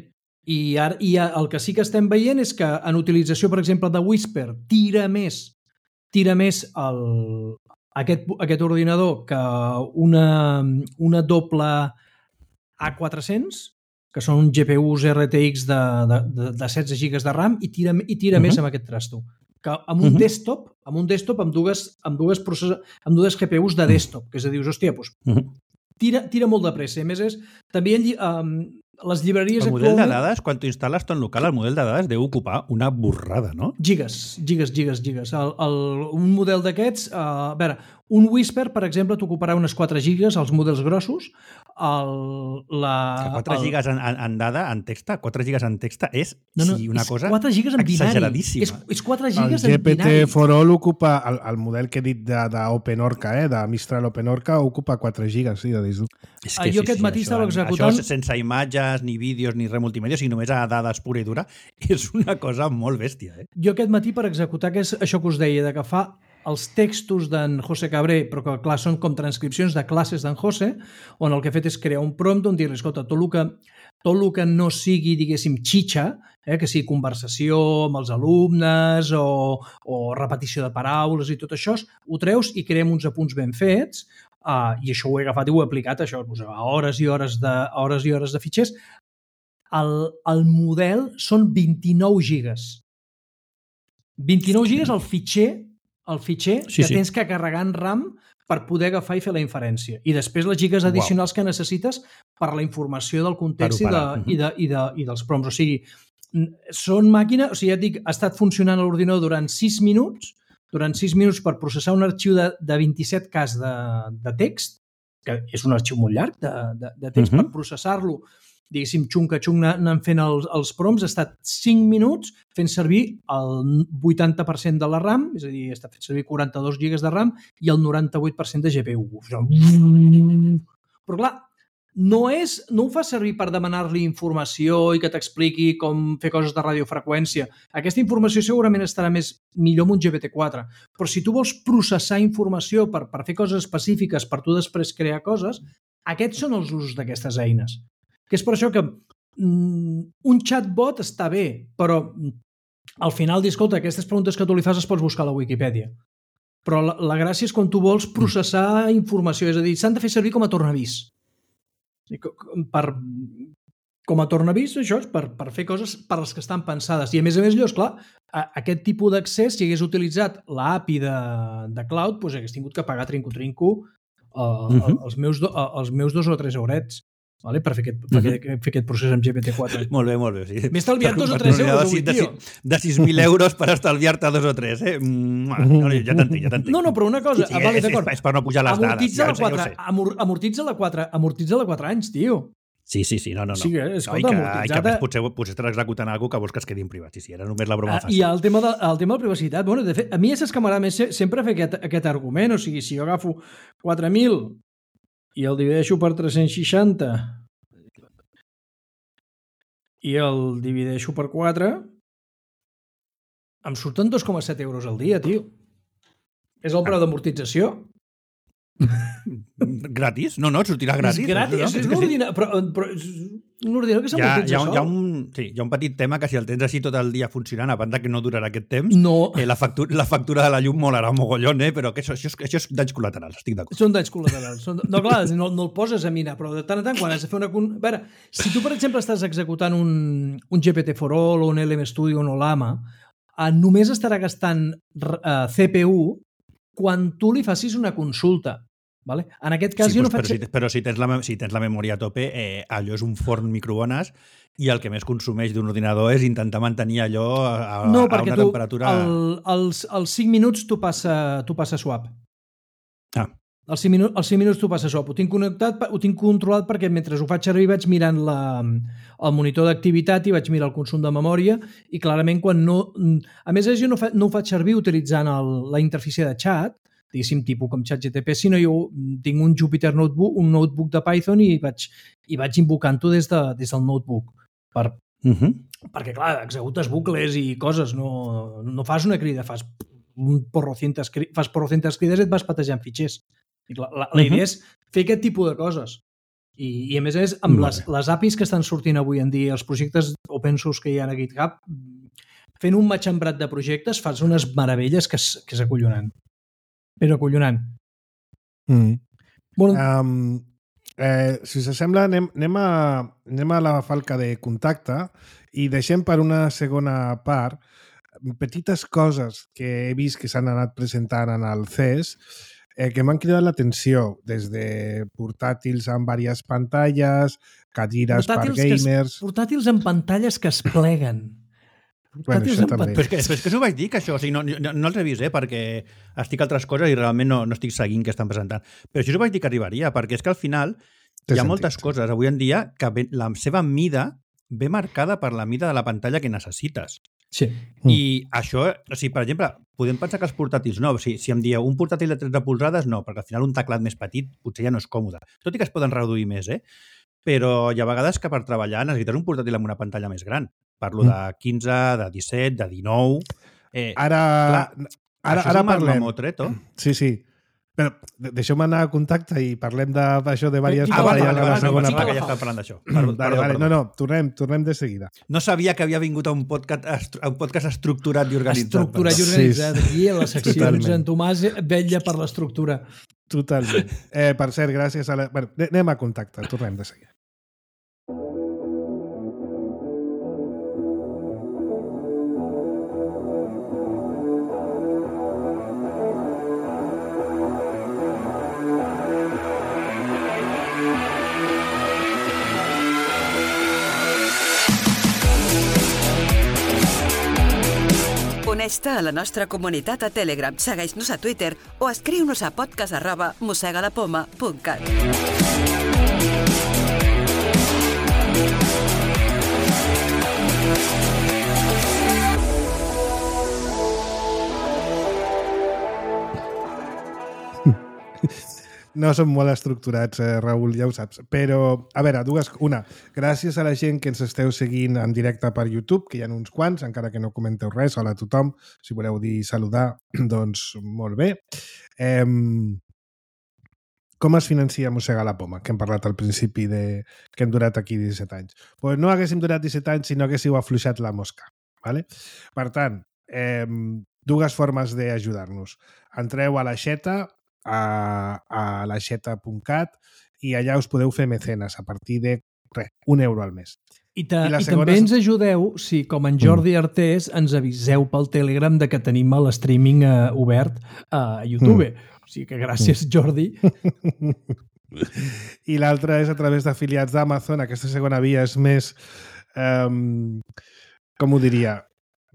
Speaker 3: I, ara, I el que sí que estem veient és que en utilització, per exemple, de Whisper, tira més, tira més el, aquest, aquest ordinador que una, una doble A quatre-cents, que són G P Us R T X de, de, de, de setze gigas de RAM, i tira, i tira uh-huh. més amb aquest trasto. Que amb un uh-huh. desktop, amb un desktop amb dues, amb dues, process... amb dues G P Us de desktop, que és a dir, hòstia, doncs, uh-huh. tira, tira molt de pressa. A més, és, també um, les llibreries
Speaker 4: el model
Speaker 3: actualment...
Speaker 4: de dades, quan tu instal·les ton local, el model de dades deu ocupar una borrada, no?
Speaker 3: Gigas, gigas, gigas, gigas. El, el, un model d'aquests, uh, a veure, un Whisper, per exemple, t'ocuparà unes quatre gigas, els models grossos. El, la,
Speaker 4: quatre
Speaker 3: el...
Speaker 4: gigas en, en dada, en texta, quatre gigas en texta és
Speaker 3: no, no,
Speaker 4: sí, una
Speaker 3: és
Speaker 4: cosa
Speaker 3: quatre gigas en binari.
Speaker 4: exageradíssima.
Speaker 3: És, és quatre gigas
Speaker 2: el
Speaker 3: en binari.
Speaker 2: El G P T for All ocupa, el, el model que he dit d'OpenOrca, eh, de Mistral OpenOrca, ocupa quatre gigas, sí, de disc.
Speaker 3: És que jo sí, aquest sí, matí estava executant...
Speaker 4: Això sense imatges, ni vídeos, ni res multimèdia, sinó només a dades pura i dura, és una cosa molt bèstia. Eh?
Speaker 3: Jo aquest matí, per executar que és això que us deia, de que fa els textos d'en José Cabré, però que clar, són com transcripcions de classes d'en José, on el que he fet és crear un prompt on dir-li, escolta, tot el que, tot el que no sigui, diguéssim, xitxa, eh, que sigui conversació amb els alumnes o, o repetició de paraules i tot això, ho treus i creem uns apunts ben fets, uh, i això ho he agafat i ho he aplicat això, doncs, a hores i hores de, hores i hores de fitxers. El, el model són vint-i-nou gigas. vint-i-nou gigas el fitxer el fitxer
Speaker 4: sí,
Speaker 3: que
Speaker 4: sí.
Speaker 3: tens que carregar en RAM per poder agafar i fer la inferència. I després les gigas addicionals wow. que necessites per la informació del context i, de, uh-huh. i, de, i, de, i dels prompts. O sigui, són màquines... O sigui, ja et dic, ha estat funcionant l'ordinador durant sis minuts, durant sis minuts per processar un arxiu de, de vint-i-set K de, de text, que és un arxiu molt llarg de, de, de text, uh-huh. per processar-lo, diguéssim, xunca-xunc anant fent els, els prompts, ha estat cinc minuts fent servir el vuitanta per cent de la RAM, és a dir, està fent servir quaranta-dos gigas de RAM i el noranta-vuit per cent de G P U. Però clar, no, és, no ho fa servir per demanar-li informació i que t'expliqui com fer coses de radiofreqüència. Aquesta informació segurament estarà més millor amb un G P T quatre, però si tu vols processar informació per, per fer coses específiques, per tu després crear coses, aquests són els usos d'aquestes eines. Que és per això que mm, un chatbot està bé, però al final, dir, escolta, aquestes preguntes que tu li fas es pots buscar a la Wikipedia. Però la, la gràcia és quan tu vols processar informació, és a dir, s'han de fer servir com a tornavís. Per, com a tornavís, això és per, per fer coses per les que estan pensades. I a més a més, llavors, clar, a, aquest tipus d'accés, si hagués utilitzat l'A P I de, de Cloud, doncs hagués tingut que pagar trinco-trinco uh, uh-huh. els, meus do, uh, els meus dos o tres eurets. Vale? Per fer aquest, per uh-huh. fer aquest procés amb G P T quatre.
Speaker 4: Molt bé, molt bé. Sí.
Speaker 3: M'he estalviat dos o tres euros avui,
Speaker 4: de,
Speaker 3: tio.
Speaker 4: De sis mil euros per estalviar-te dos o tres, eh? No, ja t'entenc, ja t'entenc.
Speaker 3: No, no, però una cosa...
Speaker 4: Sí,
Speaker 3: ah, vale,
Speaker 4: és, és, és per no pujar les
Speaker 3: amortitza
Speaker 4: dades.
Speaker 3: La quatre, ja, amor, amortitza la quatre, amortitza la quatre anys, tio.
Speaker 4: Sí, sí, sí, no, no. no.
Speaker 3: Sí, escolta,
Speaker 4: no, i que,
Speaker 3: amortitzada...
Speaker 4: i que més potser, potser estàs executant alguna cosa que vols que es quedi en privat. Sí, sí, era només la broma
Speaker 3: ah,
Speaker 4: fàcil.
Speaker 3: I el tema, de, el tema de la privacitat, bueno, de fet, a mi és que m'agrada més sempre fer aquest, aquest argument, o sigui, si jo agafo quatre mil i el divideixo per tres-cents seixanta i el divideixo per quatre, em surten dos coma set euros al dia, tio. És el preu d'amortització.
Speaker 4: Gratis? No, no, et sortirà gratis.
Speaker 3: És gratis,
Speaker 4: no?
Speaker 3: és, és un ordinador, però, però és un ordinador que s'amortitza
Speaker 4: hi ha, hi, ha, hi, ha
Speaker 3: sol.
Speaker 4: un, sí, hi ha un petit tema que si el tens així tot el dia funcionant, a banda que no durarà aquest temps,
Speaker 3: No.
Speaker 4: eh, la, factura, la factura de la llum molarà un mogollon, eh? Però que això, això, és, això és danys col·laterals, estic d'acord.
Speaker 3: Són danys col·laterals. Són... No, clar, no, no el poses a mirar, però de tant en tant, quan has de fer una... A veure, si tu, per exemple, estàs executant un, un G P T for All o un L M Studio o un Olama, eh, només estarà gastant eh, C P U quan tu li facis una consulta. Vale? En aquest cas
Speaker 4: sí,
Speaker 3: jo
Speaker 4: doncs,
Speaker 3: no faig...
Speaker 4: Però, si, però si, tens la, si tens la memòria a tope, eh, allò és un forn microones i el que més consumeix d'un ordinador és intentar mantenir allò a, a,
Speaker 3: no,
Speaker 4: a una
Speaker 3: tu,
Speaker 4: temperatura...
Speaker 3: el, els, els cinc minuts tu passa, tu passa swap.
Speaker 4: Ah.
Speaker 3: Els cinc, minu els cinc minuts tu passa swap. Ho tinc connectat, ho tinc controlat perquè mentre ho faig servir vaig mirant la, el monitor d'activitat i vaig mirar el consum de memòria i clarament quan no... A més, jo no, fa, no ho faig servir utilitzant el, la interfície de chat, diguéssim, tipus com ChatGPT, sinó jo tinc un Jupyter Notebook, un notebook de Python i vaig, i vaig invocant-ho des, de, des del notebook. Per,
Speaker 4: uh -huh. Perquè,
Speaker 3: clar, executes bucles i coses, no, no fas una crida, fas un porrocientes, fas porrocientes crides i et vas patejant fitxers. I clar, la, la idea uh -huh. és fer aquest tipus de coses. I, i a més a més, amb les, les A P Is que estan sortint avui en dia, els projectes open source que hi ha a GitHub, fent un matxembrat de projectes fas unes meravelles que és, que és acollonant. Però acollonant.
Speaker 2: Mm. Bueno, um, eh, si us sembla, anem, anem, a, anem a la falca de contacte i deixem per una segona part petites coses que he vist que s'han anat presentant en el C E S eh, que m'han cridat l'atenció, des de portàtils amb diverses pantalles, cadires portàtils per gamers...
Speaker 3: Es, portàtils amb pantalles que es pleguen.
Speaker 2: Bueno, això també.
Speaker 4: Però és que, però és que us ho vaig dir, que això, o sigui, no, no, no els he vist, eh, perquè estic a altres coses i realment no, no estic seguint què estan presentant. Però això us ho vaig dir que arribaria, perquè és que al final Té hi ha sentit, moltes sí. coses avui en dia que ve, la seva mida ve marcada per la mida de la pantalla que necessites.
Speaker 3: Sí.
Speaker 4: I mm. això, o sigui, per exemple, podem pensar que els portàtils no, o sigui, si em dieu un portàtil de tretze polzades, no, perquè al final un teclat més petit potser ja no és còmode. Tot i que es poden reduir més, eh? Però hi ha vegades que per treballar necessites un portàtil amb una pantalla més gran. Parlo mm. de quinze, de disset, de dinou... Eh,
Speaker 2: ara
Speaker 4: clar,
Speaker 2: ara, ara parlem.
Speaker 4: Mamotreto.
Speaker 2: Sí, sí. Però deixeu-me anar a contacte i parlem d'això de, de diverses
Speaker 4: ah,
Speaker 2: pantalles
Speaker 4: vale,
Speaker 2: a la
Speaker 4: vale,
Speaker 2: segona
Speaker 4: part. Ja estem parlant d'això.
Speaker 2: Vale, vale, vale. No, no, tornem, tornem de seguida.
Speaker 4: No sabia que havia vingut a un podcast, a un podcast estructurat i organitzat.
Speaker 3: Estructurat i organitzat. Sí, aquí a les seccions totalment. En Tomàs vetlla per l'estructura.
Speaker 2: Totalment. Eh, per cert, gràcies a la... Bueno, anem a contacte, tornem de seguida.
Speaker 5: Uneix-te a la nostra comunitat a Telegram, segueix-nos a Twitter o escriu-nos a podcast arroba mossegalapoma punt cat.
Speaker 2: No som molt estructurats, eh, Raül, ja ho saps. Però, a veure, dues... Una, gràcies a la gent que ens esteu seguint en directe per YouTube, que hi ha uns quants, encara que no comenteu res. Hola a tothom. Si voleu dir saludar, doncs molt bé. Eh, com es financia Mossega la Poma? Que hem parlat al principi de que hem durat aquí disset anys. Pues no haguéssim durat disset anys si no haguéssiu afluixat la mosca. ¿Vale? Per tant, eh, dues formes d'ajudar-nos. Entreu a l'aixeta, a, a l'aixeta punt cat i allà us podeu fer mecenes a partir de res, un euro al mes.
Speaker 3: I, ta, I, i segona... també ens ajudeu si, com en Jordi mm. Artés, ens aviseu pel Telegram de que tenim l'streaming uh, obert a YouTube. Mm. O sigui que gràcies, mm. Jordi.
Speaker 2: I l'altra és a través d'afiliats d'Amazon. Aquesta segona via és més... Um, com ho diria?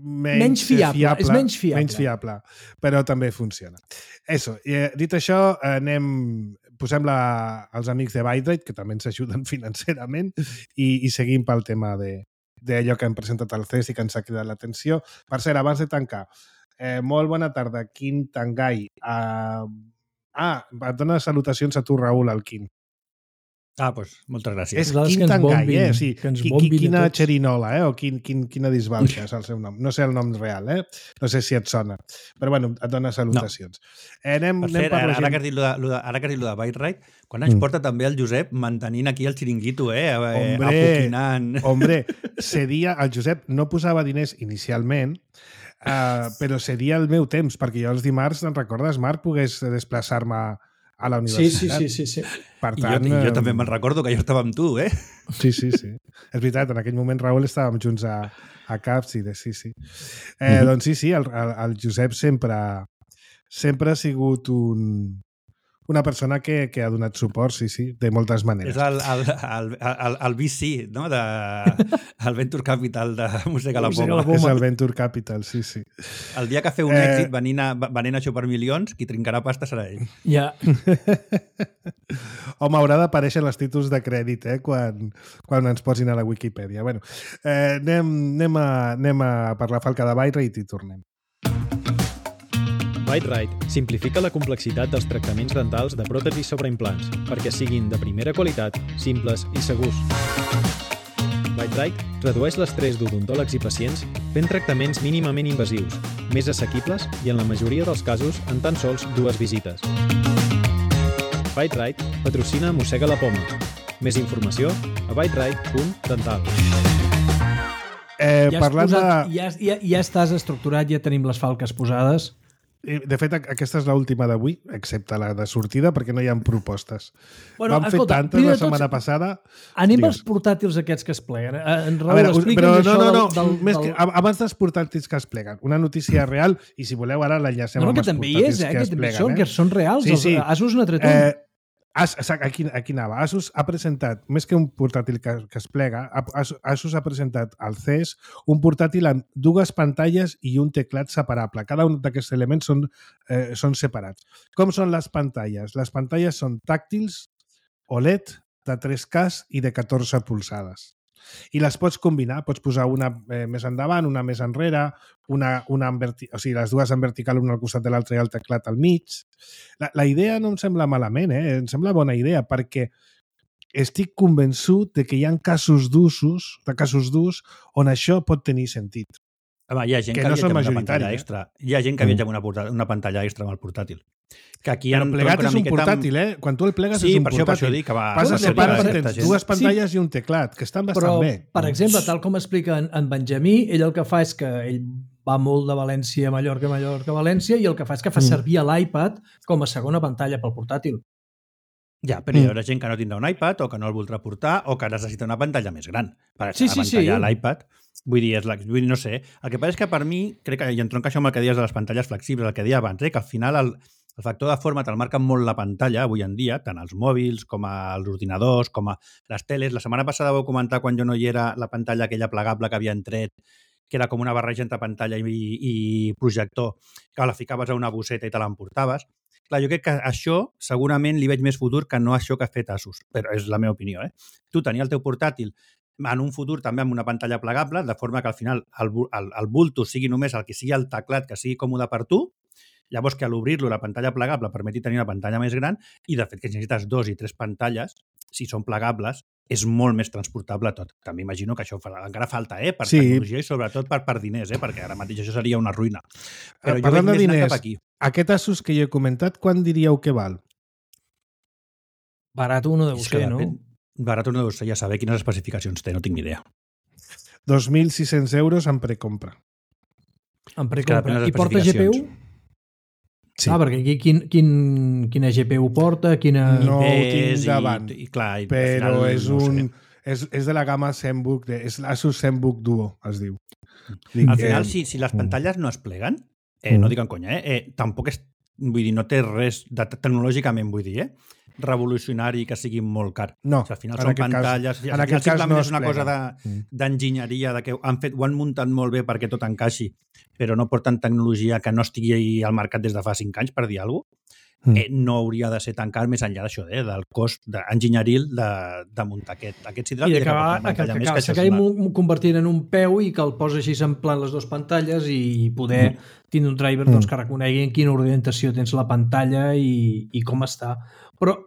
Speaker 2: Menys,
Speaker 3: menys fiable,
Speaker 2: fiable,
Speaker 3: és menys fiable.
Speaker 2: Menys fiable, però també funciona. Eso, eh, dit això, anem, posem la, els amics de Byte, que també ens ajuden financerament, i, i seguim pel tema d'allò que hem presentat al C E S i que ens ha cridat l'atenció. Per cert, abans de tancar, eh, molt bona tarda, Quim Tangai. Uh, ah, et dona salutacions a tu, Raül, al Quim.
Speaker 4: Ah, doncs, moltes gràcies.
Speaker 2: És
Speaker 3: Nosaltres que
Speaker 2: quin
Speaker 3: ens
Speaker 2: tangall,
Speaker 3: bombin,
Speaker 2: eh? O sigui,
Speaker 3: que ens
Speaker 2: qui,
Speaker 3: bombin
Speaker 2: qui,
Speaker 3: a
Speaker 2: quina
Speaker 3: tots.
Speaker 2: xerinola, eh? O quin, quin, quina disbauxa és el seu nom. No sé el nom real, eh? No sé si et sona. Però, bueno, et dona salutacions. No. Eh, anem,
Speaker 4: Per
Speaker 2: anem
Speaker 4: cert,
Speaker 2: per
Speaker 4: ara,
Speaker 2: la
Speaker 4: ara,
Speaker 2: gent...
Speaker 4: que has dit lo de, lo de, ara que has dit lo de Byte Ride, quan ens
Speaker 2: Mm.
Speaker 4: porta també el Josep mantenint aquí el xiringuito, eh? eh
Speaker 2: Hombre,
Speaker 4: apoquinant.
Speaker 2: hombre, cedia... El Josep no posava diners inicialment, uh, però cedia el meu temps, perquè jo els dimarts, te'n recordes, Marc, pogués desplaçar-me a la
Speaker 3: Sí,
Speaker 2: universitat.
Speaker 3: sí, sí, sí, sí.
Speaker 2: Per
Speaker 4: I jo,
Speaker 2: tant,
Speaker 4: i jo
Speaker 2: eh,
Speaker 4: també me'n recordo que jo estava amb tu, eh?
Speaker 2: Sí, sí, sí. És veritat, en aquell moment, Raül, estàvem junts a, a Caps i de sí, sí. Eh,
Speaker 4: Mhm.
Speaker 2: Doncs sí, sí, el, el, el Josep sempre, sempre ha sigut un, una persona que, que ha donat suport, sí, sí, de moltes maneres.
Speaker 4: És el, el, el, el, el V C, no? De, el Venture Capital de Mossega la
Speaker 3: Mossega la
Speaker 4: Poma.
Speaker 2: És el Venture Capital, sí, sí.
Speaker 4: El dia que feu un
Speaker 2: Eh,
Speaker 4: èxit venint a, venint a xupar milions, qui trincarà pasta serà ell.
Speaker 3: Ja.
Speaker 2: Home, haurà d'aparèixer els títols de crèdit, eh, quan, quan ens posin a la Wikipedia. Bueno, eh, anem, anem, a, anem a per la falca de Baire i t'hi tornem.
Speaker 6: BiteRite simplifica la complexitat dels tractaments dentals de pròtesis sobre implants perquè siguin de primera qualitat, simples i segurs. BiteRite redueix l'estrès d'odontòlegs i pacients fent tractaments mínimament invasius, més assequibles i, en la majoria dels casos, en tan sols dues visites. BiteRite patrocina Mossega la Poma. Més informació a biterite punt dental.
Speaker 2: Eh,
Speaker 3: Ja, has
Speaker 2: parlant
Speaker 3: posat,
Speaker 2: de...
Speaker 3: ja, ja, ja estàs estructurat, ja tenim les falques posades.
Speaker 2: De fet, aquesta és l'última d'avui, excepte la de sortida, perquè no hi ha propostes.
Speaker 3: Bueno,
Speaker 2: Vam fer
Speaker 3: escolta,
Speaker 2: tantes
Speaker 3: primer
Speaker 2: la
Speaker 3: de tot,
Speaker 2: setmana passada...
Speaker 3: Anem
Speaker 2: Digues.
Speaker 3: als portàtils aquests que es pleguen. Eh, En
Speaker 2: A
Speaker 3: Raül,
Speaker 2: veure,
Speaker 3: explica'ns
Speaker 2: però no,
Speaker 3: això
Speaker 2: no, no,
Speaker 3: del... del,
Speaker 2: més
Speaker 3: del...
Speaker 2: que, abans dels portàtils que es pleguen, una notícia real, i si voleu ara l'enllacem
Speaker 3: No, no,
Speaker 2: amb
Speaker 3: que
Speaker 2: els
Speaker 3: també hi
Speaker 2: portàtils
Speaker 3: és, eh,
Speaker 2: que
Speaker 3: que
Speaker 2: es
Speaker 3: també
Speaker 2: pleguen.
Speaker 3: són,
Speaker 2: eh?
Speaker 3: que són reals.
Speaker 2: Sí,
Speaker 3: Els-
Speaker 2: sí.
Speaker 3: Asus n'ha tret un.
Speaker 2: Eh, As, exacte, aquí, aquí anava. Asus ha presentat, més que un portàtil que, que es plega, Asus, Asus ha presentat al C E S un portàtil amb dues pantalles i un teclat separable. Cada un d'aquests elements són, eh, són separats. Com són les pantalles? Les pantalles són tàctils, O L E D, de tres K i de catorze polzades. I les pots combinar, pots posar una eh, més endavant, una més enrere, una, una en verti... o sigui, les dues en vertical, una al costat de l'altra i el teclat al mig. La, la idea no em sembla malament, eh? Em sembla bona idea, perquè estic convençut de que hi ha casos d'usos, de casos d'ús, on això pot tenir sentit.
Speaker 4: Home, hi ha gent
Speaker 2: Que
Speaker 4: que,
Speaker 2: no
Speaker 4: viatja
Speaker 2: són
Speaker 4: amb una pantalla
Speaker 2: majoritaris, eh?
Speaker 4: extra. Hi ha gent que viatja amb una, porta- una pantalla extra amb el portàtil. Que aquí
Speaker 2: Però
Speaker 4: en
Speaker 2: plegat
Speaker 4: tronca
Speaker 2: és
Speaker 4: una
Speaker 2: un
Speaker 4: miqueta
Speaker 2: portàtil, eh? Quan tu el plegues
Speaker 4: Sí,
Speaker 2: és un
Speaker 4: per això, per
Speaker 2: portàtil.
Speaker 4: això dic que va-
Speaker 2: Vas a
Speaker 3: Però
Speaker 2: separar,
Speaker 3: plegat,
Speaker 2: tens
Speaker 4: gent.
Speaker 2: dues pantalles i un teclat, que estan bastant
Speaker 3: Però,
Speaker 2: bé.
Speaker 3: per exemple, tal com explica en, en Benjamí, ell el que fa és que ell va molt de València a Mallorca, Mallorca a València, i el que fa és que fa
Speaker 2: Mm.
Speaker 3: servir l'iPad com a segona pantalla pel portàtil.
Speaker 4: Ja, però hi
Speaker 2: Mm.
Speaker 4: haurà gent que no tindrà un iPad o que no el voldrà portar o que necessita una pantalla més gran. Per
Speaker 3: Sí,
Speaker 4: la
Speaker 3: sí,
Speaker 4: pantalla
Speaker 3: sí.
Speaker 4: a l'iPad, vull dir, és la, vull dir, no sé. El que passa és que per mi, crec que, i entronca això amb el que deies de les pantalles flexibles, el que deia abans, eh, que al final el, el factor de forma te'l marca molt la pantalla avui en dia, tant els mòbils com els ordinadors, com a les teles. La setmana passada vau comentar, quan jo no hi era, la pantalla aquella plegable que havien tret, que era com una barreja entre pantalla i, i projector, que la ficaves a una bosseta i te l'emportaves. Clar, jo crec que això segurament li veig més futur que no això que ha fet Asus, però és la meva opinió, eh? Tu tenia el teu portàtil en un futur també amb una pantalla plegable, de forma que al final el, el, el bulto sigui només el que sigui el teclat, que sigui còmode per tu, llavors que a l'obrir-lo la pantalla plegable permeti tenir una pantalla més gran i de fet que necessites dos i tres pantalles, si són plegables, és molt més transportable tot. També imagino que això fa, encara falta, eh? Per
Speaker 2: Sí.
Speaker 4: tecnologia i sobretot per, per diners, eh? Perquè ara mateix això seria una ruïna. Però jo
Speaker 2: Parlant
Speaker 4: veig
Speaker 2: de
Speaker 4: més anar
Speaker 2: diners,
Speaker 4: cap aquí.
Speaker 2: aquest Asus que jo he comentat, quan diríeu que val?
Speaker 3: Barat no deu
Speaker 4: És que
Speaker 3: ser, no?
Speaker 4: depèn. Barat no deu ser, ja saber quines especificacions té, no tinc ni idea.
Speaker 2: dos mil sis-cents euros en precompra.
Speaker 3: En
Speaker 4: que
Speaker 3: precompra.
Speaker 4: depèn de les
Speaker 3: I porta G P U?
Speaker 4: especificacions.
Speaker 2: Sí.
Speaker 3: Ah, perquè aquí quin, quin, quina G P U porta, quina...
Speaker 2: No ho
Speaker 4: És
Speaker 2: tinc davant,
Speaker 4: i, i, clar, i al
Speaker 2: però
Speaker 4: final,
Speaker 2: és
Speaker 4: no ho
Speaker 2: un...
Speaker 4: sé.
Speaker 2: És, és de la gamma ZenBook, de, és l'Asus ZenBook Duo, es diu.
Speaker 4: Al
Speaker 2: que-
Speaker 4: final, si, si les pantalles no es pleguen, eh,
Speaker 2: Mm.
Speaker 4: no dic en conya, eh, eh, tampoc és, vull dir, no té res de, tecnològicament, vull dir, eh, revolucionari que sigui molt car.
Speaker 2: No,
Speaker 4: O sigui, al final
Speaker 2: en
Speaker 4: són
Speaker 2: aquest cas-
Speaker 4: pantalles...
Speaker 2: en
Speaker 4: al
Speaker 2: aquest
Speaker 4: final
Speaker 2: cas
Speaker 4: simplement
Speaker 2: no
Speaker 4: és
Speaker 2: es
Speaker 4: una cosa
Speaker 2: plega.
Speaker 4: de-
Speaker 2: Mm.
Speaker 4: d'enginyeria, de que han fet, ho han muntat molt bé perquè tot encaixi, però no porten tecnologia que no estigui al mercat des de fa cinc anys, per dir alguna cosa.
Speaker 2: Mm.
Speaker 4: Eh, no hauria de ser tan car més enllà d'això, eh, del cost enginyeril de, de muntar aquest, aquest sidral
Speaker 3: I
Speaker 4: i de que
Speaker 3: acabar,
Speaker 4: porti una
Speaker 3: que, que,
Speaker 4: pantalla més,
Speaker 3: que,
Speaker 4: que això és
Speaker 3: s'acabi
Speaker 4: una-
Speaker 3: mo- convertint en un peu i que el posa així s'emplant les dues pantalles i poder
Speaker 4: Mm.
Speaker 3: tindre un driver doncs, que reconegui en quina orientació tens la pantalla i, i com està. Però